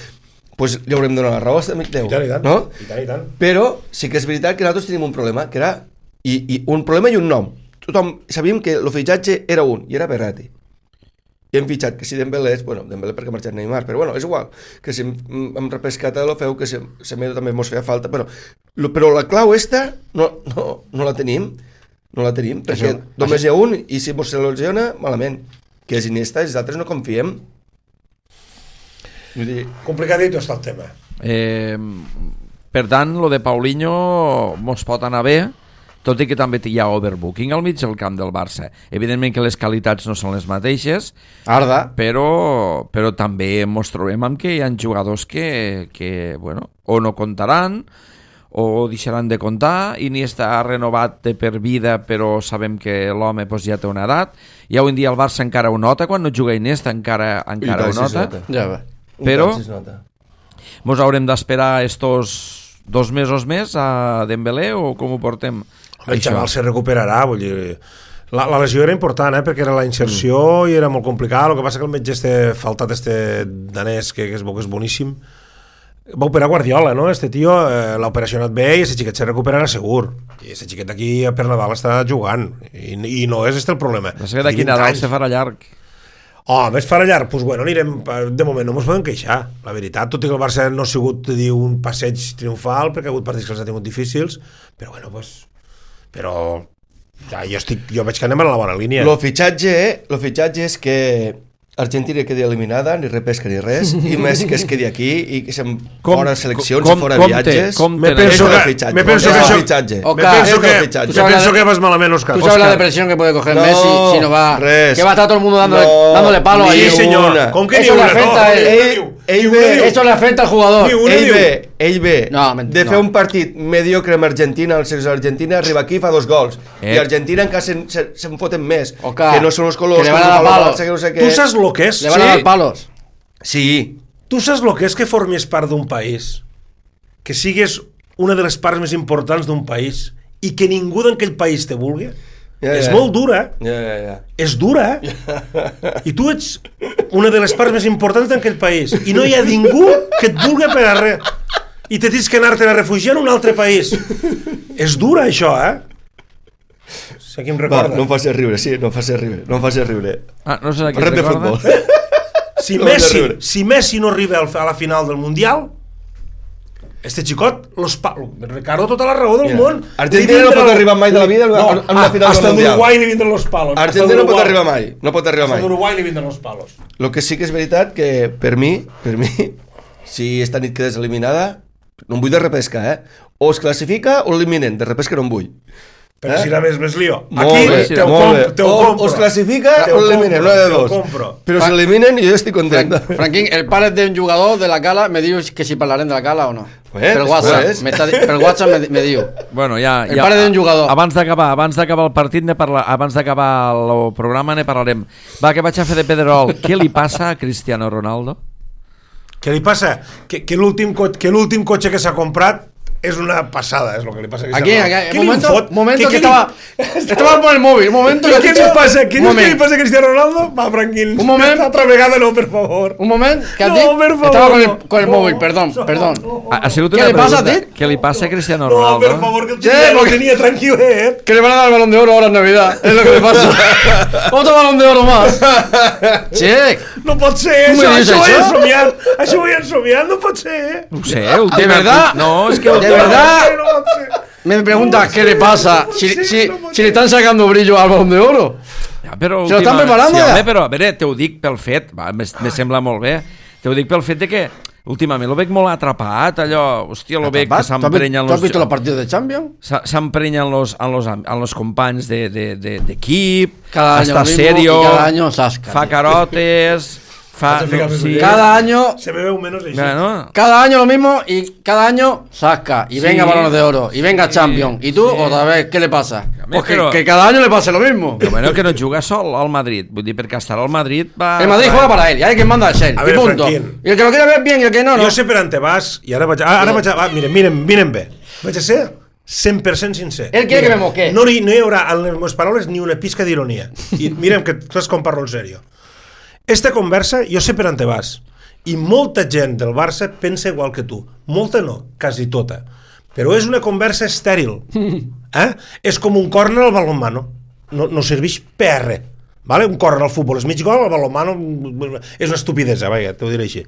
pues li haurem de donar la raó a amic teu. I tant. No? I tant. Però sí que és veritat que nosaltres tenim un problema, que era i un problema i un nom. Tothom sabíem que el fitxatge era un, i era Berratti. I hem fitxat que si Dembélé és, bueno, Dembélé perquè ha marxat Neymar, però bueno, és igual, que si hem repescat a l'Ofeu, que Semedo també mos feia falta, però la clau esta no la tenim, perquè només hi ha un, i si mos se lesiona, malament, que és Iniesta, i els altres no confiem. Vull dir... Complicadito està el tema. Per tant, lo de Paulinho mos pot anar bé, tot i que també hi ha overbooking al mig del camp del Barça. Evidentment que les qualitats no són les mateixes, Arda. però també mos trobem amb que hi ha jugadors que bueno, o no comptaran o deixaran de comptar. Iniesta ha renovat de per vida, però sabem que l'home pues, ja té una edat, i avui en dia el Barça encara ho nota, quan no juga Iniesta encara ho nota, Ja va. però mos haurem d'esperar estos 2 mesos més a Dembélé o com ho portem? El xaval se recuperarà, vull dir... La lesió era important, perquè era la inserció i era molt complicat. El que passa que el metge faltat danès, que és boníssim, va operar Guardiola, no? Este tio, l'operació ha anat bé i aquest xiquet se recuperarà segur. I aquest xiquet aquí per Nadal està jugant. I no és el problema. No sé que d'aquí Nadal se farà llarg. Més farà llarg, doncs bueno, anirem, de moment no ens podem queixar, la veritat, tot i que el Barça no ha sigut un passeig triomfal, perquè ha hagut partits que els ha tingut difícils, però bueno, doncs, però ja, jo veig que anem a la bona línia. Lo fitxatge és que Argentina quedi eliminada, ni repesca ni res, i Messi que es quedi aquí i que se'n fora seleccions i fora viatges. Me penso que vas malament, Óscar. ¿Tú sabes la depresión que puede coger Messi si no va? Que va a estar todo el mundo dándole palo ahí. Sí, señor. ¿Con qué Eso le afecta a él. Eso le afecta al jugador. Ell ve de fer un partit mediocre amb Argentina, el selecció d'Argentina, arriba aquí i fa 2 gols. I Argentina encara se'n foten més. Que no són els colors, que le van a dar palos. Tu saps lo que és? Le van a dar palos. Sí. Tu saps lo que és que formis part d'un país, que sigues una de les parts més importants d'un país i que ningú d'aquell país te vulgui? És molt dura. És dura. I tu ets una de les parts més importants d'aquell país i no hi ha ningú que et vulgui per a res i te tens que anar-te a refugiar en un altre país. És dura això, Sé qui em recorda. No em facis riure, no em facis riure. No sé qui em recorda. Si Messi no arriba a la final del Mundial, este xicot, Ricardo, tota la raó del món. Argentina no pot arribar mai de la vida a una final del Mundial. Hasta d'Uruguai li vindran los palos. Argentina no pot arribar mai. Hasta d'Uruguai li vindran los palos. Lo que sí que és veritat que per mi, si esta nit quedes eliminada, no em vull de repesca, o es classifica o eliminen, de repesca no em vull. Però si era més lío. Aquí te ho compro. O es classifica o eliminen, no de dos. Però si eliminen jo estic content. Franquín, el pare d'un jugador de la Cala me diu que si parlarem de la Cala o no. Per WhatsApp me diu. Bueno, ja, el pare d'un jugador. Abans d'acabar el partit, abans d'acabar el programa ne parlarem. Va, que vaig a fer de Pedrerol. Què li passa a Cristiano Ronaldo? Què li passa? Que l'últim cotxe que s'ha comprat es una pasada, es lo que le pasa a Cristiano Ronaldo. Momento que estaba por el móvil. ¿Qué le pasa? ¿Qué le pasa a Cristiano Ronaldo? Va, Franquín. Un momento. Otra vegada no, por favor. Un momento. Que estaba con el móvil, perdón. ¿Qué le pasa a ti? ¿Qué le pasa a Cristiano Ronaldo? No, por favor, que el chico lo tenía tranquilo, Que le van a dar el Balón de Oro ahora en Navidad. Es lo que le pasa. Otro Balón de Oro más. Che. No pot ser, això ho he ensomiat, no pot ser. No sé, de verdad. No, es que de verdad. Me preguntas qué le pasa si le están sacando brillo al Balón de Oro. Però se lo estan preparant ja. Però a veure, te ho dic pel fet, me sembla molt bé, te ho dic pel fet de que últimament lo veig molt atrapat, allò, hòstia, lo veig que s'emprenyen los... ¿Tú has visto los partidos de Champions? S'emprenyen los companys d'equip, està serio, cada año sasca. Fa carotes... Cada año se me ve un menos cada año lo mismo y cada año sasca y venga Balones de Oro y venga Champions y tú otra vez, ¿qué le pasa? Pues que cada año le pase lo mismo. Lo bueno que no juga sol al Madrid, vull dir, perquè estarà al Madrid el Madrid juega para él y hay quien manda es él, y punto. Y el que lo quiere ver bien y el que no. Jo sé per on te vas i ara vaig miren bé, vaig a ser 100% sincer. Él quiere que me moque. No hi haurà en les meves paraules ni una pizca d'ironia. I mirem que tu saps com parlo en sèrio. Esta conversa, jo sé per on te vas. I molta gent del Barça pensa igual que tu. Molta no, quasi tota. Però és una conversa estèril. És com un córner al balonmano. No serveix per res. Vale? Un córner al futbol és mig gol, al balonmano és una estupidesa, t'ho diré així.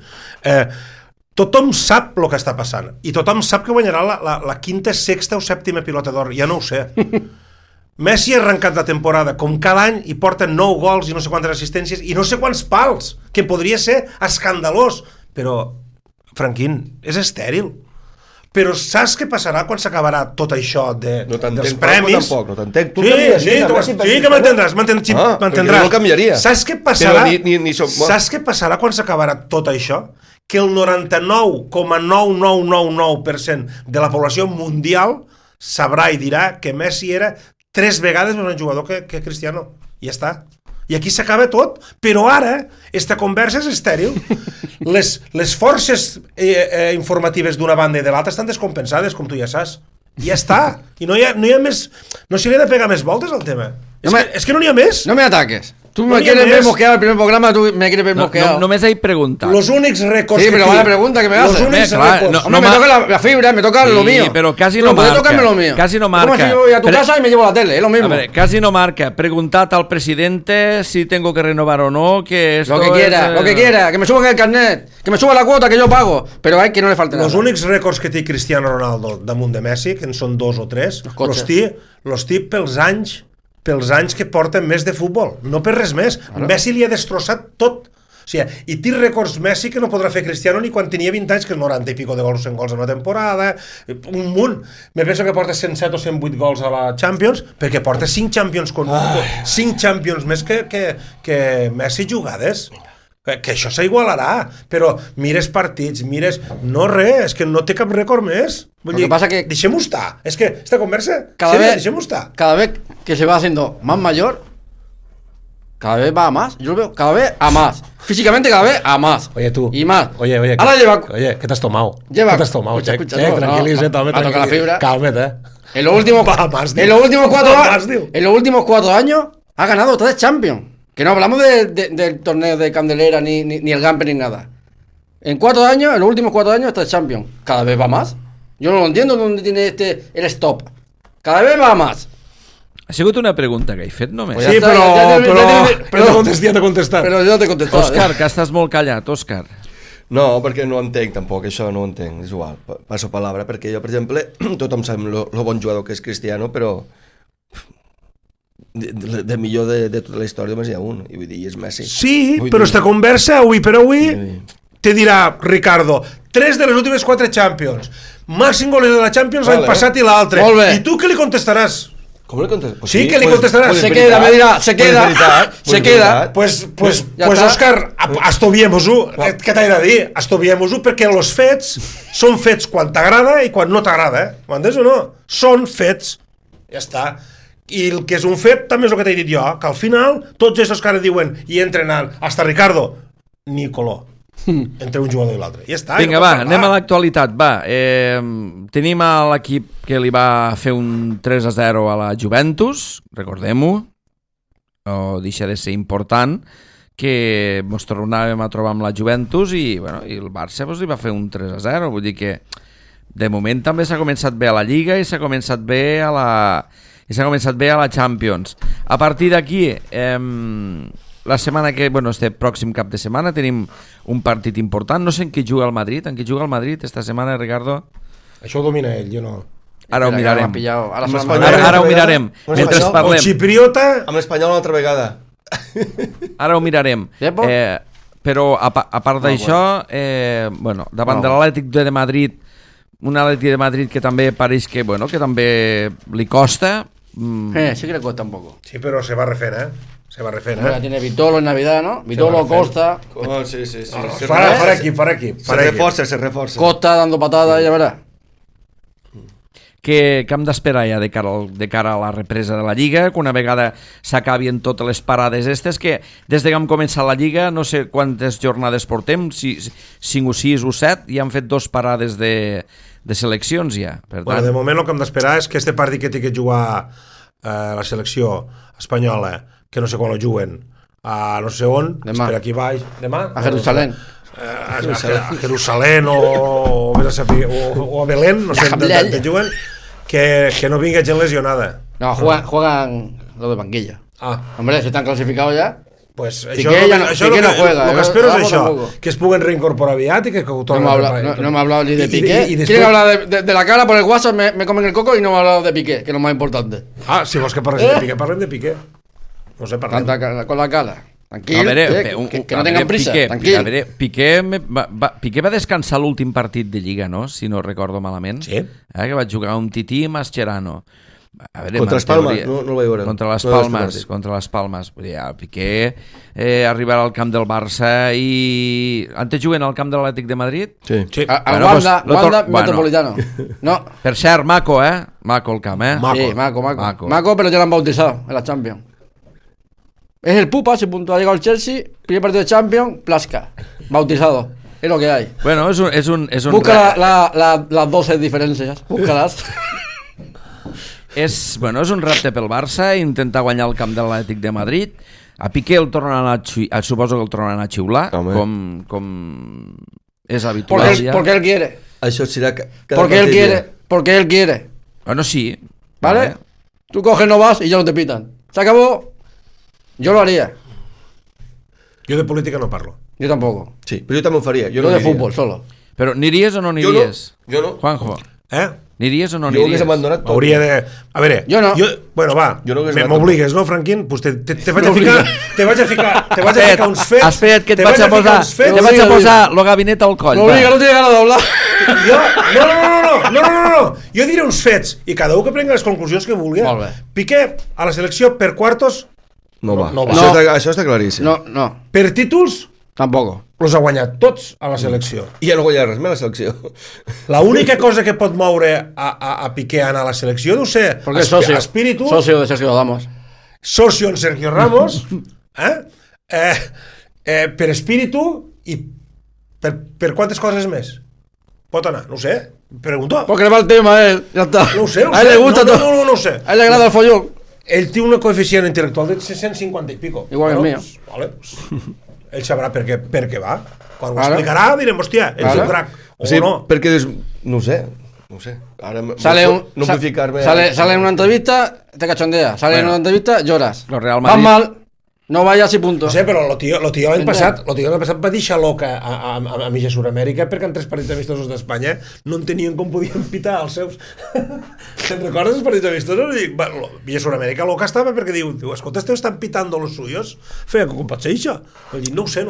Tothom sap el que està passant i tothom sap que guanyarà la quinta, sexta o sèptima pilota d'or, ja no ho sé. Messi ha arrencat la temporada com cada any i porta 9 gols i no sé quantes assistències i no sé quants pals, que podria ser escandalós, però Franquín, és estèril. Però saps què passarà quan s'acabarà tot això dels premis? No t'entenc. Sí, que m'entendràs. No canviaria. Saps què passarà quan s'acabarà tot això? Que el 99,9999% de la població mundial sabrà i dirà que Messi era 3 vegades més un jugador que Cristiano. I ja està. I aquí s'acaba tot. Però ara, esta conversa és estèril. Les forces informatives d'una banda i de l'altra estan descompensades, com tu ja saps. I ja està. I no hi ha més... No s'hi ha de pegar més voltes al tema. És que no n'hi ha més. No me ataques. Tú me quieres ver mosqueado al primer programa, tú me quieres ver mosqueado. No me has preguntado. Los únicos récords sí, pero vaya pregunta que me haces. Los únicos récords. Me toca la fibra, me toca lo mío. Pero casi no marca. Tocarme lo mío. Casi no marca. Como si yo voy a tu casa y me llevo la tele, es lo mismo. A ver, casi no marca. Preguntad al presidente si tengo que renovar o no, que esto lo que quiera, que me suban el carnet, que me suba la cuota que yo pago, pero hay que no le falte nada. Los únics récords que té Cristiano Ronaldo damunt de Messi, que en són 2 o 3, los té pels anys que porten més de futbol, no per res més. Messi li ha destrossat tot. O sigui, i té rècords Messi que no podrà fer Cristiano ni quan tenia 20 anys, que 90 i pico de gols, 100 gols en una temporada, un munt. Me penso que porta 107 o 108 gols a la Champions, perquè porta 5 Champions més que Messi jugades. Que això s'igualarà, però mires partits, no res, és que no té cap rècord més. Vull dir, deixem-ho estar. És que esta conversa, deixem-ho estar. Cada vez que se va haciendo más mayor, cada vez va a más. Yo lo veo cada vez a más. Físicamente cada vez a más. Oye, tú. Y más. Oye. Ahora Oye, ¿qué te has tomado? ¿Qué te has tomado? Escucha, tranquilízate. Toca la fibra. Cálmate, En los últimos 4 años ha ganado 3 Champions. Que no hablamos del torneo de Candelera ni el Gamper ni nada. En los últimos 4 años está el Champions. Cada vez va más. Yo no lo entiendo dónde tiene el stop. Cada vez va más. Ha sigut una pregunta que he fet només. Sí, però ja t'he contestat. Però jo t'he contestat. Òscar, que estàs molt callat, Òscar. No, perquè no entenc tampoc, això no ho entenc, és igual, passo palabra, perquè jo, per exemple, tothom sap lo bon jugador que és Cristiano, però de millor de tota la història només hi ha un, i vull dir, és Messi. Sí, però esta conversa, avui per avui, te dirà Ricardo, 3 de les últimes 4 Champions, màxim golejador de la Champions l'any passat i l'altre. I tu què li contestaràs? Com li contestaràs? Pues sí, que li contestaràs. Se queda, me dirà, se queda. Pues Òscar, estudiemos-ho. Què t'he de dir? Estudiemos-ho perquè els fets són fets quan t'agrada i quan no t'agrada. M'entens o no? Són fets. Ja està. I el que és un fet també és el que t'he dit jo, que al final tots aquests que ara diuen i entren hasta Ricardo, ni color entre un jugador i l'altre. Ja està. Vinga, va, anem a l'actualitat. Tenim l'equip que li va fer un 3-0 a la Juventus, recordem-ho, no deixa de ser important, que ens tornàvem a trobar amb la Juventus i el Barça li va fer un 3-0, vull dir que de moment també s'ha començat bé a la Lliga i s'ha començat bé a la Champions. A partir d'aquí, la setmana que, este pròxim cap de setmana tenim un partit important, no sé en què juga el Madrid, esta setmana, Ricardo? Això ho domina ell, jo no. Ara ho mirarem. Ara ho mirarem, mentre parlem. O xipriota... Amb l'Espanyol una altra vegada. Ara ho mirarem. Però a part d'això, davant de l'Atlètic de Madrid, un Atlètic de Madrid que també pareix que també li costa. Sí que le cuesta un poco. Sí, pero se va refent, Se va refent, Ya tiene Vitolo en Navidad, ¿no? Vitolo, Costa. Sí. Farà equip. Se reforça. Costa dando patadas, ya verás. Que hem d'esperar ja de cara a la represa de la Lliga, que una vegada s'acabin totes les parades estes, que des que hem començat la Lliga, no sé quantes jornades portem, 5 o 6 o 7, i han fet 2 parades de de seleccions ja. Per Bueno, tant, de moment el que hem d'esperar és que este partit que té que jugar la selecció espanyola, que no sé quan ho juguen, a no sé on, Demà. per aquí baix, demà? A Jerusalén. A Jerusalén o a Belén, no sé on juguen, que no vinga gent lesionada. No, juegan los de banquillo. Ah, Hombre, si están clasificados ya. pues Piqué no juega, el que espero és vamos això, tampoco. que es puguen reincorporar aviat i que ho No tornen me ha hablado ni de Piqué. y después- Quieren hablar de la cara por el WhatsApp, me comen el coco y no me ha hablado de Piqué, que es lo más importante. Ah, si vols que parlem de Piqué, parlem de Piqué. No sé, parlem. Con la cara. Tranquilo, a veure, que no tengan prisa, tranquilo. A veure, Piqué va descansar l'últim partit de Lliga, no? Si no recordo malament. Sí. Que va jugar un Tití i Mascherano. A veure, Contra les Palmes, no el vaig veure. Contra les No Palmes, contra les Palmes. Vull dir, el Piqué arribarà al camp del Barça i... Antes juguen al camp de l'Atlètic de Madrid? Sí. Sí. Al Bueno, Wanda, pues, Wanda bueno. Metropolitano. No, Per cert, maco, Maco el camp, Maco. sí, Maco, pero ya lo han bautizado en la Champions. Es el Pupa, si punto ha llegado el Chelsea, primer partido de Champions, Plasca, bautizado. Es lo que hay. Bueno, és un Busca las 12 diferencias, búscalas. És un repte pel Barça, intentar guanyar el camp de l'Atlètic de Madrid. A Piqué el tornen suposo que el tornen a xiular, Home. com és habitual ja. Porque él quiere. Això serà cada Porque él partit, quiere. Porque él quiere. Bueno, sí. ¿Vale? Tú coges, no vas y ya no te pitan. Se acabó. Yo lo haría. Jo de política no parlo. Yo tampoco. Sí, però jo també ho faria. Jo Yo no de aniria. fútbol, solo. Però aniries o no aniries? Jo no. Juanjo, aniries o no Jo hagués aniries? abandonat tot. Hauria de... A veure... Jo no. Bueno, va, Jo no hagués anat m'obligues, no, Franquín? Pues te vaig a ficar... Te vaig a ficar uns fets... Espera't, que et te vaig a ficar posar... uns fets. Te vaig a posar el gabinet al coll. No obliga, no tiene ganas de hablar. Jo... No. Jo diré uns fets i cada un que prengui les conclusions que vulgui. Molt bé. Piqué a la selecció per quartos, No va. No va. Això està claríssim. No, per títols, tampoco. els ha guanyat tots a la selecció. I ja no guanyarà res més la selecció. La única cosa que pot moure a Piqué a anar a la selecció, no sé, Porque es socio. espíritu, Socio de Sergio Damos. socio en Sergio Ramos, per espíritu i per quantes coses més? Pot anar, no ho sé, pregunto. Porque le va el tema a él, ya está. No ho sé, A él le gusta todo. no ho sé. A él le agrada el follón. Ell té un coeficient intel·lectual de 150 i pico. Igual que el mío. Pues, vale, pues, ell sabrà per què va. Quan ho Claro. explicarà direm, hòstia, ell és Claro. un crac. O Sí, no. perquè dius... No ho sé. Ara no vull ficar-me... Sale en una entrevista, te cachondea. Sale en una entrevista, lloras. Lo Real Vas Madrid- mal, no vayas y punto. No sé, però el tio l'any Entén. passat va deixar loca a Milla Sud-amèrica perquè en 3 partits amistosos d'Espanya no entenien com podien pitar els seus... Te'n recordes els partits amistosos? I dic, Milla Sud-amèrica loca estava perquè diu, escolta, estan pitando los suyos. Feia, com pot ser això? I dic, no ho sé.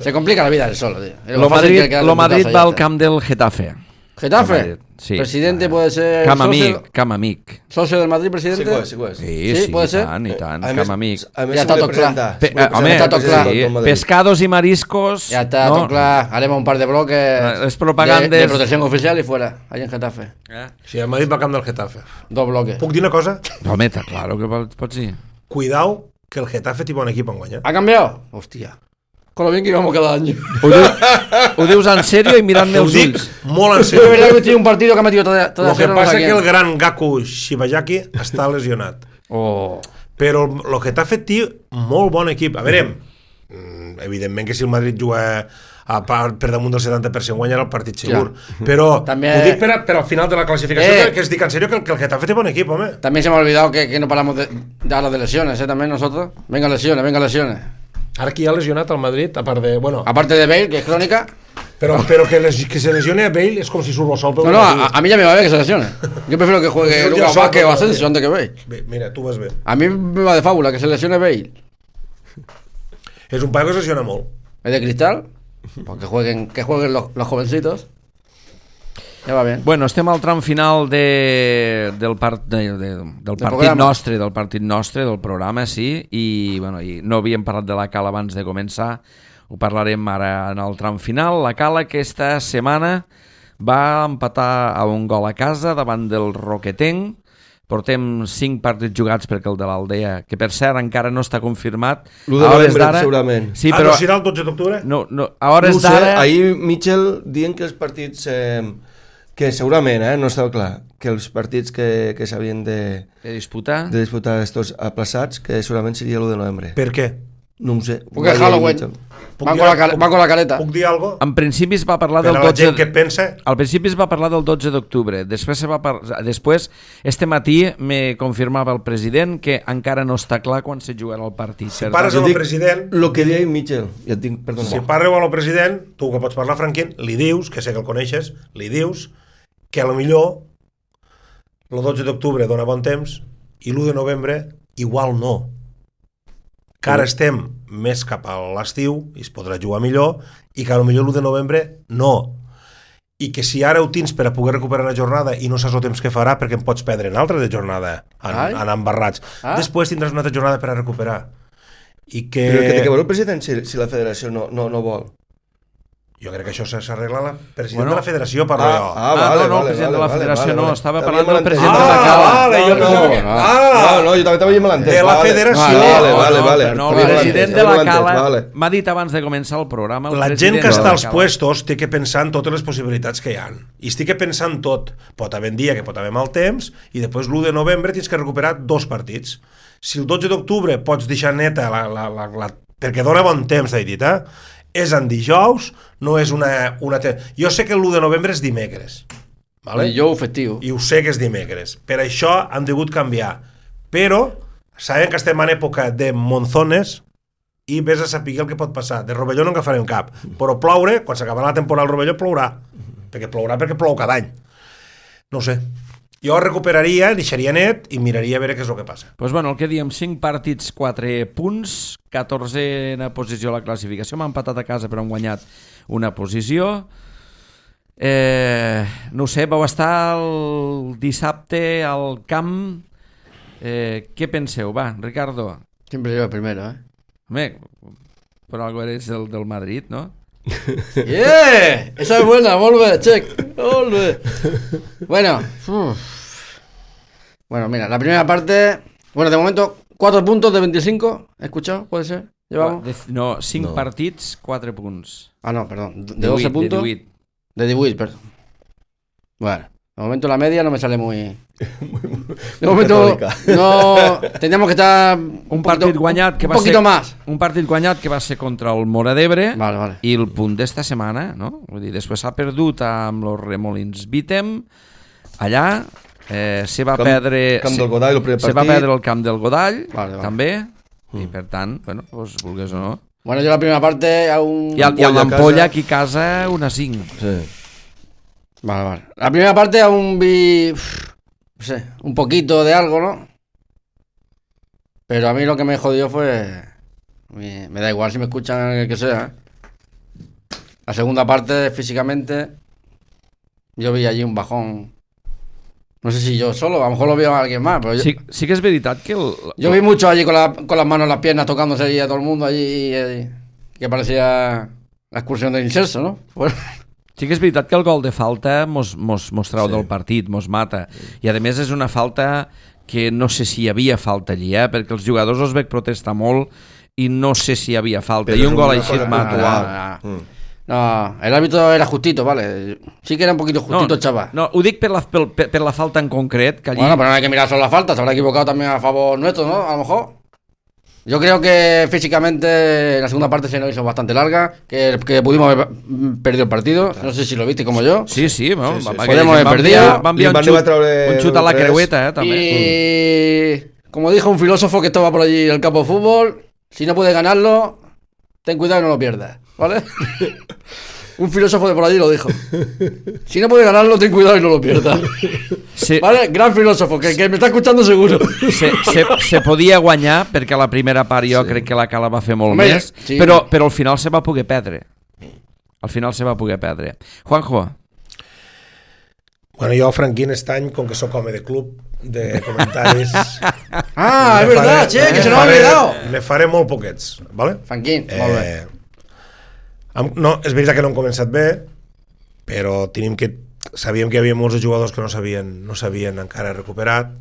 Se complica la vida él solo, tío. Es Lo fácil Madrid, que queda lo en Madrid putazo, va ya al está. camp del Getafe. Getafe. Sí. Presidente puede ser. Camp socio- amic, camp amic. Socio del Madrid, presidente. Sí que ho és. Sí, puede ser. i tant, A camp amic. A més, Ja està tot clar. Home, Está todo claro. sí, pescados y mariscos. Ya está, no? todo claro. Haremos un par de bloques. Es propagandes. De protección oficial y fuera. Ahí en Getafe. Sí, el Madrid va al camp del Getafe. 2 bloques. Puc dir una cosa? Home, està claro que pots dir. Cuidao, que el Getafe té bon equip en guanyar. ¿Ha cambiado? Hostia. Con lo bien que íbamos cada año. Ho dius en sèrio i mirant-me Ho els dic ulls. molt en Es verdad sèrio. que tiene un partido que ha metido toda El que cero, no sé passa que quién. el gran Gaku Shibayaki està lesionat. Oh. Però el Getafe té molt bon equip. A veure, evidentment que si el Madrid juga per damunt del 70% guanyarà el partit segur. Però També- ho dic per al final de la classificació, que es dic en sèrio que el Getafe té bon equip, home. También se me ha olvidado que no paramos de hablar de lesiones, también nosotros. Venga lesiones. Ara qui ha lesionat al Madrid, a part de... Bueno, Aparte de Bale, que es crónica. però que se lesione a Bale és com si surt el sol pel No, a mí ya me va bien que se lesione. Yo prefiero que juegue Pues Lucas ya Vázquez o saco, Asensio antes que Bale. Bé, mira, tu vas bé. A mí me va de fábula que se lesione Bale. És un paio que es lesiona molt. Es de cristal. Pues que jueguen los jovencitos. Ya va bien. Bueno, estem al tram final del partit nostre, del programa, sí, i no havíem parlat de la Cala abans de començar, ho parlarem ara en el tram final. La Cala aquesta setmana va empatar a un gol a casa davant del Roquetenc. Portem 5 partits jugats perquè el de l'Aldea, que per cert encara no està confirmat. L'1 de novembre, segurament. Sí, No però serà el 12 d'octubre? no, a hores No ho sé, d'ara... ahir Mitchell dient que els partits Que segurament, no estava clar, que els partits que s'havien de disputar estos aplaçats, que segurament seria l'1 de novembre. Per què? No ho sé. Porque es Halloween. Van con la careta. Puc dir alguna cosa? en principi es va parlar Per del a la 12 gent que pensa... al principi es va parlar del 12 d'octubre, després este matí me confirmava el president que encara no està clar quan se jugarà el partit. Si pares amb el president... El que deia Mitchell, ja et dic, perdona. Si parleu amb el president, tu que pots parlar franquint, li dius, que sé que el coneixes, li dius que a lo millor el 12 d'octubre dona bon temps i l'1 de novembre igual no. Que ara estem més cap a l'estiu i es podrà jugar millor i que a lo millor l'1 de novembre no. I que si ara ho tens per a poder recuperar una jornada i no saps el temps que farà perquè en pots perdre en altra de jornada anant barrats. Després tindràs una altra jornada per a recuperar. I que... Però que té que veure el president si la federació no vol. Jo crec que això s'arregla la president de la federació, parlo jo. Vale, el president de la federació no, estava parlant del president de de la Cala. No, jo també t'havia malentès. De la federació. Vale. No, el president de la Cala m'ha dit abans de començar el programa. La gent que està als puestos té que pensar en totes les possibilitats que hi ha. I estic pensant tot. Pot haver un dia que pot haver mal temps i després l'1 de novembre tens que recuperar 2 partits. Si el 12 d'octubre pots deixar neta perquè dona bon temps, t'he dit, és en dijous, no és una... Jo sé que l'1 de novembre és dimecres. Vale? Dijous festiu. I ho sé que és dimecres. Per això han degut canviar. Però sabem que estem en època de monzones i vés a saber el que pot passar. De rovelló no en agafarem cap. Però ploure, quan s'acabarà la temporada del rovelló, plourà. Perquè plou cada any. No ho sé. Jo recuperaria, deixaria net i miraria a veure què és el que passa. Doncs bueno, el que diem, 5 partits, 4 punts, 14a posició a la classificació, m'han empatat a casa però han guanyat una posició. No ho sé, vau estar el dissabte al camp. Què penseu? Va, Ricardo. Siempre yo el primero, Home, per algo eres del Madrid, ¿no? Esa es buena, volve, check. Volve. Bueno, mira, la primera parte. Bueno, de momento, 4 puntos de 25. ¿He escuchado? ¿Puede ser? ¿Llevamos? No, 5 partits, 4 punts. No, perdón. De 12 puntos. De 18, perdón. Bueno, de momento la media no me sale muy... De momento no... Teníamos que estar un partit guanyat que va ser un partit guanyat que va ser contra el Móra d'Ebre. Vale. I el punt d'esta setmana, no? Vull dir, després s'ha perdut amb los Remolins Bítem allà, se va perdre Camp del Godall, el primer partit. Se va perdre el Camp del Godall també, i per tant, bueno, doncs vulgues o no. Bueno, jo la primera parte a un... I a l'Ampolla aquí a casa una 5. Sí. Vale. La primera parte aún vi, no sé, un poquito de algo, ¿no? Pero a mí lo que me jodió fue... Me da igual si me escuchan el que sea. La segunda parte, físicamente, yo vi allí un bajón. No sé si yo solo, a lo mejor lo vio alguien más. Pero sí que es veritat que... Yo vi mucho allí con las manos en las piernas, tocándose allí a todo el mundo allí, que parecía la excursión del incenso, ¿no? Bueno. Sí que és veritat que el gol de falta mos trau del partit, mos mata. I a més és una falta que no sé si hi havia falta allí, perquè els jugadors els veig protestar molt i no sé si hi havia falta. I un gol així et mata. No, el árbitro era justito, vale. Sí que era un poquito justito, chaval. No, ho dic per la falta en concret. Que allí... Bueno, pero no hay que mirar solo la falta, se habrá equivocado también a favor nuestro, ¿no? A lo mejor. Yo creo que físicamente la segunda parte se nos hizo bastante larga, que pudimos haber perdido el partido. No sé si lo viste como yo. Sí, bueno, podemos haber perdido. Va enviar un xut a la creueta, també. Y como dijo un filósofo que estaba por allí en el campo de fútbol, si no puedes ganarlo, ten cuidado y no lo pierdas, ¿vale? Un filósofo de por allí lo dijo. Si no puedes ganarlo, ten cuidado y no lo pierdas. Sí. ¿Vale? Gran filósofo, que me está escuchando seguro. Se podia guanyar, perquè a la primera part jo crec que la Cala va fer molt més, però al final se va poder perdre. Juanjo. Bueno, jo, Franquín, este any, com que sóc home de club, de comentaris... es verdad, che, que se nos ha olvidado. Me faré molt poquets, ¿vale? Franquín, molt bé. No, és veritat que no hem començat bé, però sabíem que hi havia molts jugadors que no s'havien encara recuperat,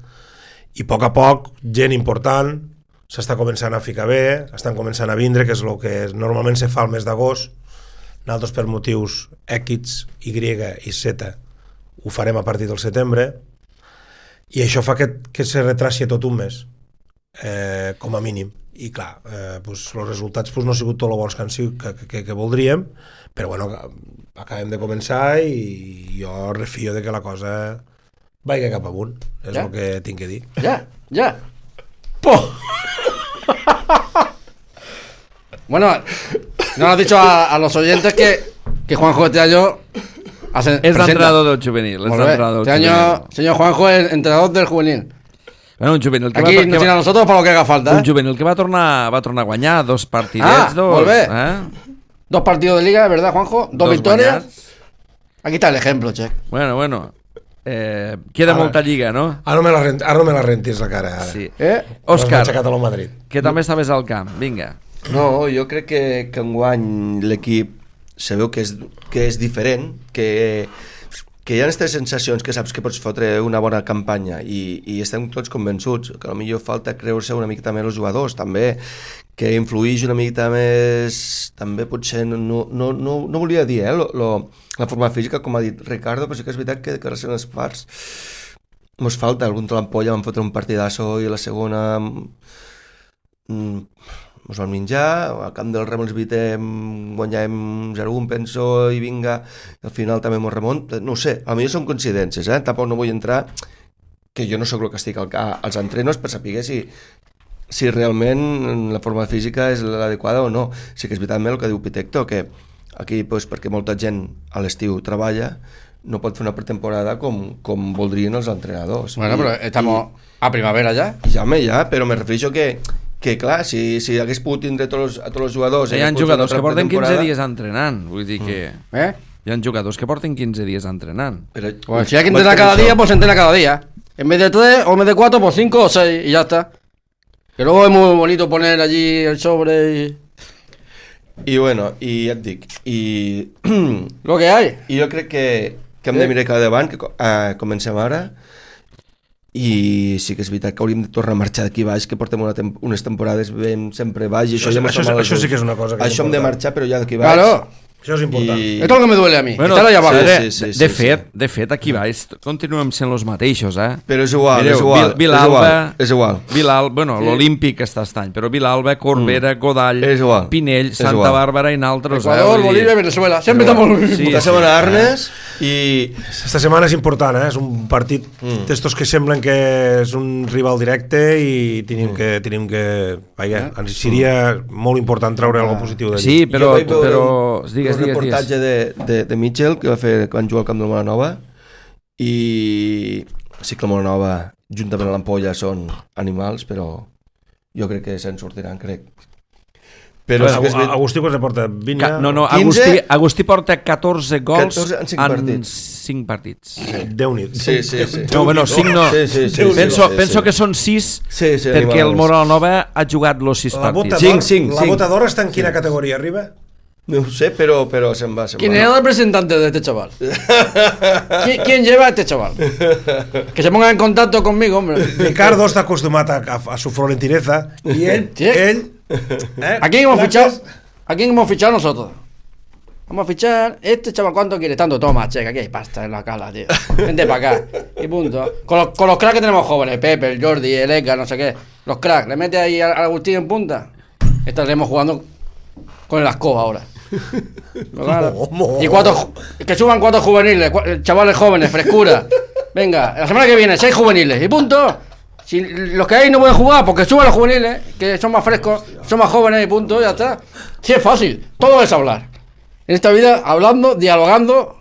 i a poc, gent important s'està començant a ficar bé, estan començant a vindre, que és el que normalment se fa el mes d'agost. Nosaltres per motius X, Y i Z ho farem a partir del setembre, i això fa que se retraci tot un mes, com a mínim. I clar, els resultats no han sigut tot el bons que voldríem, però bueno, acabem de començar i jo refio de que la cosa vagi cap amunt, és el que tinc que dir. Ja. ¡Poh! Bueno, no has dicho a los oyentes que Juanjo este año es entrenador del juvenil. Este año, señor Juanjo, es entrenador del juvenil. Bueno, un juvenil que aquí nos tiene a nosotros para lo que haga falta. Un juvenil que va tornar a guanyar 2 partidets. Molt bé. 2 partidos de liga, ¿verdad, Juanjo? 2 victorias. Guanyats. Aquí está el ejemplo, Che. Bueno. Queda molta lliga, no? Ara no me la rentis la cara, ara. Sí. Òscar, Madrid. Que també estaves al camp, vinga. No, jo crec que enguany l'equip se veu que és diferent, que hi ha aquestes sensacions que saps que pots fotre una bona campanya i estem tots convençuts que potser falta creure-se una mica també els jugadors, també que influïx una mica més, també potser no volia dir la forma física, com ha dit Ricardo, però sí que és veritat que en les parts mos falta algun trampolla, vam fotre un partidasso i la segona mos vam menjar, al camp del Rem els evitem, guanyàvem 0-1 penso, i vinga, i al final també mos remont, no ho sé, a mi són coincidències, tampoc no vull entrar, que jo no sóc el que estic als entrenos per saber si realment la forma física és l'adequada o no. Sí que és veritat el que diu Pitecto, que aquí, perquè molta gent a l'estiu treballa, no pot fer una pretemporada com voldrien els entrenadors. Bueno, però estamos a primavera ja. Ja, però me refereixo que clar, si hagués pogut tindre a tots els jugadors... Hi ha jugadors que porten 15 dies entrenant, vull dir que... Hi ha jugadors que porten 15 dies entrenant. Pues si hay que entrenar cada día, pues entrena cada día. En vez de 3 o en vez de 4, pues 5 o 6 y ya está. Que luego es muy bonito poner allí el sobre y... I bueno, i ja et dic, i... Lo que hay. I jo crec que hem de mirar cada davant, que comencem ara, i sí que és veritat que hauríem de tornar a marxar d'aquí baix, que portem unes temporades ben sempre baix, i això sí que és una cosa que això hem de marxar, però ja d'aquí baix. Claro. Això és important. Esto es lo que me duele a mí. Bueno, estar allá abajo. De fet, aquí baix continuem sent els mateixos, Però és igual, Mireu, és igual. Bueno, l'Olímpic està any, però Vilalba, Corbera, Godall, Pinell, Santa Bàrbara i naltros. Ecuador, Bolívia, Venezuela. Sempre estamos... Esta setmana Arnes i... Esta setmana és important, és un partit d'estos que semblen que és un rival directe i tenim que... Vaja, ens seria molt important treure alguna positiu d'allí. Sí, però un reportatge de Mitchell que van jugar al camp del Molanova, i sí que el Molanova juntament amb l'Ampolla són animals, però jo crec que se'n sortiran, crec. Però Agustí quants porta? 20? No, Agustí porta 14 gols en 5 partits. Déu-n'hi-do. Sí. No, bueno, 5 no. Penso que són 6 perquè el Molanova ha jugat los 6 partits. 5. La botadora està en quina categoria arriba? No ho sé, pero se'n va. ¿Quién es el representante de este chaval? ¿Quién lleva a este chaval? Que se ponga en contacto conmigo, hombre. Ricardo está acostumado a su florentineza y él ¿A quién hemos fichado? ¿A quién hemos fichado nosotros? Vamos a fichar este chaval. ¿Cuánto quiere? Tanto, toma, checa, aquí hay pasta en la cala, tío. Vente para acá. Y punto. Con los cracks que tenemos jóvenes, Pepe, el Jordi, el Edgar, no sé qué. Los cracks, le mete ahí al Agustín en punta. Estaremos jugando con el Ascó ahora. Claro. Y que suban 4 juveniles, chavales jóvenes, frescura. Venga, la semana que viene 6 juveniles y punto. Si los que hay no pueden jugar, porque suban los juveniles, que son más frescos, son más jóvenes y punto, ya está. Sí, es fácil, todo es hablar. En esta vida, hablando, dialogando.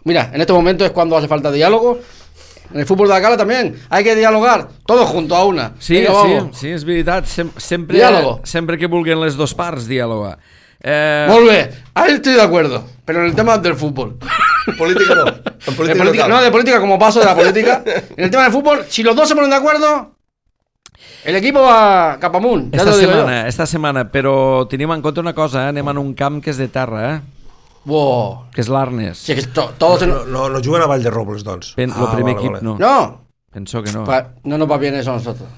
Mira, en este momento es cuando hace falta diálogo. En el fútbol de la Cala también hay que dialogar, todos juntos a una. Sí, venga, sí, és veritat, sempre que vulguin les dos parts dialogar. Molt bé, ahí estoy de acuerdo, pero en el tema del fútbol. Política no. De política como paso de la política. En el tema del fútbol, si los dos se ponen de acuerdo, el equipo va cap amunt. Esta setmana, però tenim en compte una cosa, anem en un camp que és de terra, Wow. Que és l'Arnes. Sí, que todos no juguen a Vall de Robles, doncs. El primer equip no. No. Penso que no. No nos va bien eso a nosotros.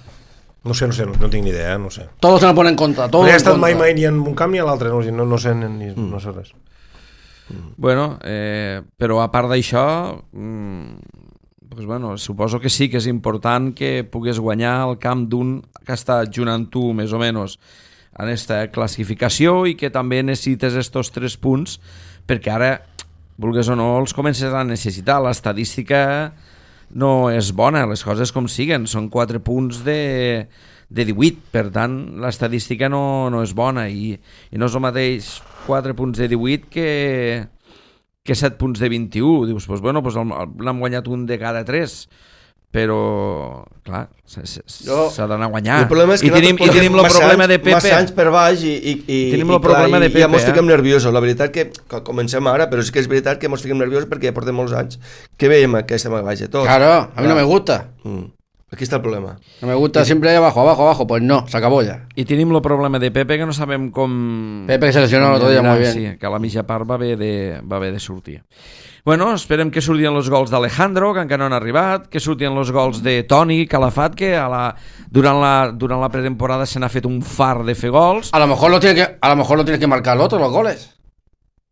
No sé, no tinc ni idea, no sé. Todos se nos ponen en contra. No he estat mai ni en un camp ni a l'altre, no sé res. Bueno, però a part d'això, pues bueno, suposo que sí que és important que pugues guanyar el camp d'un que està junt amb tu, més o menys, en aquesta classificació i que també necessites estos 3 punts perquè ara, vulgues o no, els comences a necessitar. L'estadística no és bona, les coses com siguen, són 4 punts de 18, per tant l'estadística no és bona i no és el mateix 4 punts de 18 que 7 punts de 21. Dius, doncs bueno, l'hem guanyat un de cada 3, però clar, s'ha d'anar a guanyar. El problema és que tenim el problema de Pepe. Massa anys per baix i tenim el problema de Pepe. Ja mos fiquem nerviosos. La veritat que comencem ara, però sí que és veritat que mos fiquem nerviosos perquè ja portem molts anys que veiem que estem a baix de tot. Claro, a mí no me gusta. Aquí está el problema. No me gusta siempre abajo. Pues no, se acabó ya. I tenim el problema de Pepe, que no sabem com... Pepe que se lesionó el otro día muy bien. Sí, que a la mitja part va haver de sortir. Bueno, esperem que surtin els gols d'Alejandro, que encara no han arribat, que surtin els gols de Toni Calafat, que durant la pretemporada se n'ha fet un far de fer gols. A lo mejor lo tiene que marcar el otro, los goles.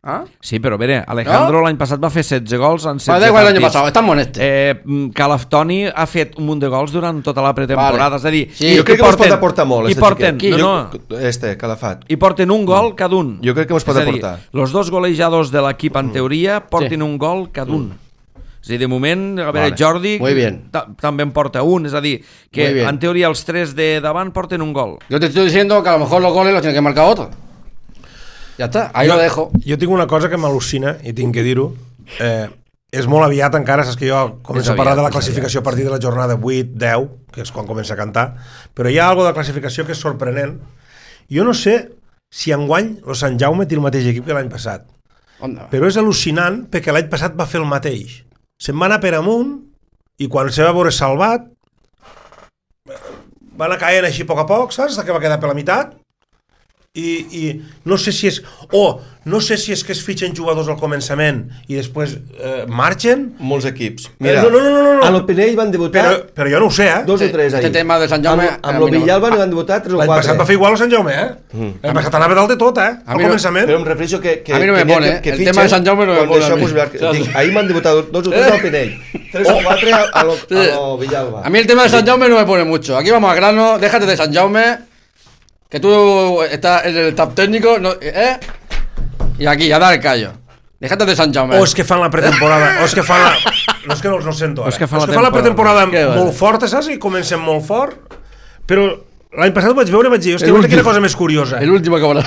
¿Ah? Sí, però a veure, Alejandro l'any passat va fer 16 gols en 16 da igual partits. l'any passat, estamos en este. Toni ha fet un munt de gols durant tota la pretemporada, és a dir... Sí, jo crec que mos pot aportar molt, Calafat. I porten un gol cada un. Jo crec que mos pot aportar. Els 2 golejadors de l'equip en teoria porten un gol cada un. És a dir, de moment, a veure, Jordi també en porta un, és a dir, que en teoria els 3 de davant porten un gol. Yo te estoy diciendo que a lo mejor los goles los tiene que marcar otro. Ja està, ahí lo dejo. Jo tinc una cosa que m'al·lucina, i tinc que dir-ho. És molt aviat encara, saps que jo començo a parlar de la classificació a partir de la jornada 8-10, que és quan comença a cantar, però hi ha alguna de classificació que és sorprenent. Jo no sé si enguany el Sant Jaume té el mateix equip que l'any passat, però és al·lucinant perquè l'any passat va fer el mateix. Se'n va anar per amunt i quan se va veure salvat va anar caient així a poc, saps? Que va quedar per la meitat. I no sé si és no sé si és que es fitxen jugadors al començament i després marxen. Molts equips. Mira, no. A l'Opinell van debutar però jo no ho sé, 2 o 3 ahí. Este tema de Sant Jaume amb l'Ovillalba no van debutar 3 o 4. L'any passat va fer igual a Sant Jaume, l'any passat anava dalt de tot, al començament. Però em refereixo que a mi no me pone, el tema de Sant Jaume no me pone. Ahí m'han debutat 2 o 3 a l'Opinell, 3 o 4 a l'Ovillalba. A mí el tema de Sant Jaume no me pone mucho. Aquí vamos al grano, déjate de Sant Jaume, que tú estás en el staff técnico, y aquí, a dar el callo. Déjate de Sant Jaume. O és que fan la pretemporada, o és que fan la... No és que no els sento ara. O és que fan la pretemporada molt forta, saps? I comencen molt fort, però l'any passat ho vaig veure i vaig dir, hòstia, quina cosa més curiosa. El último que habrá.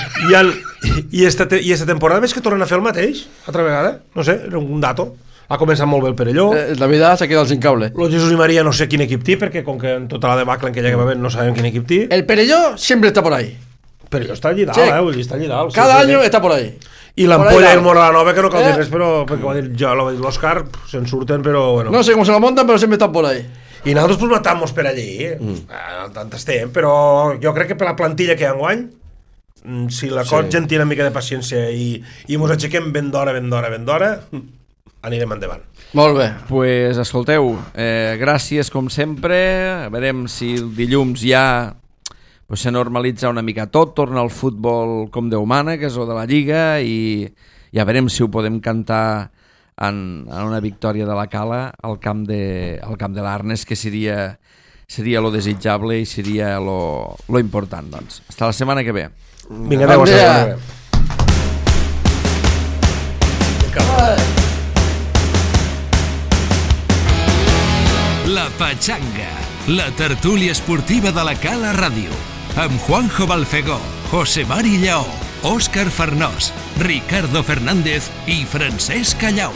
I esta temporada veig que tornen a fer el mateix, altra vegada. No sé, era un dato. Ha començat molt bé el Perelló. La vida s'ha quedat sin cable. Los Jesús i María no sé quin equip té, perquè com que en tota la debacle en que ja va haver no sabem quin equip té. El Perelló siempre está por ahí. Perelló està allí dalt, vull dir, està allí dalt. Cada año está por ahí. I l'Ampolla i el Moralanova, que no cal dir res, però perquè ho ha dit jo, l'Òscar, se'n surten, però bueno. No sé com se la montan, però sempre estan por ahí. I nosaltres pues matamos per allí, tant estem, però jo crec que per la plantilla que hi ha enguany, si la gent té una mica de paciència i mos aixequem ben d'hora, anirem endavant. Molt bé. Pues escolteu, gràcies com sempre. Veurem si el dilluns ja se normalitza una mica tot, torna el futbol com Déu mana, que és el de la Lliga, i ja veurem si ho podem cantar en una victòria de la Cala al camp de l'Arnes, que seria lo desitjable i seria lo important. Doncs. Hasta la setmana que ve. Vinga, adéu, hasta la setmana que ve. La Pachanga, la tertúlia esportiva de la Cala Ràdio, amb Juanjo Balfegó, José Mari Lleó, Òscar Farnós, Ricardo Fernández i Francesc Callau.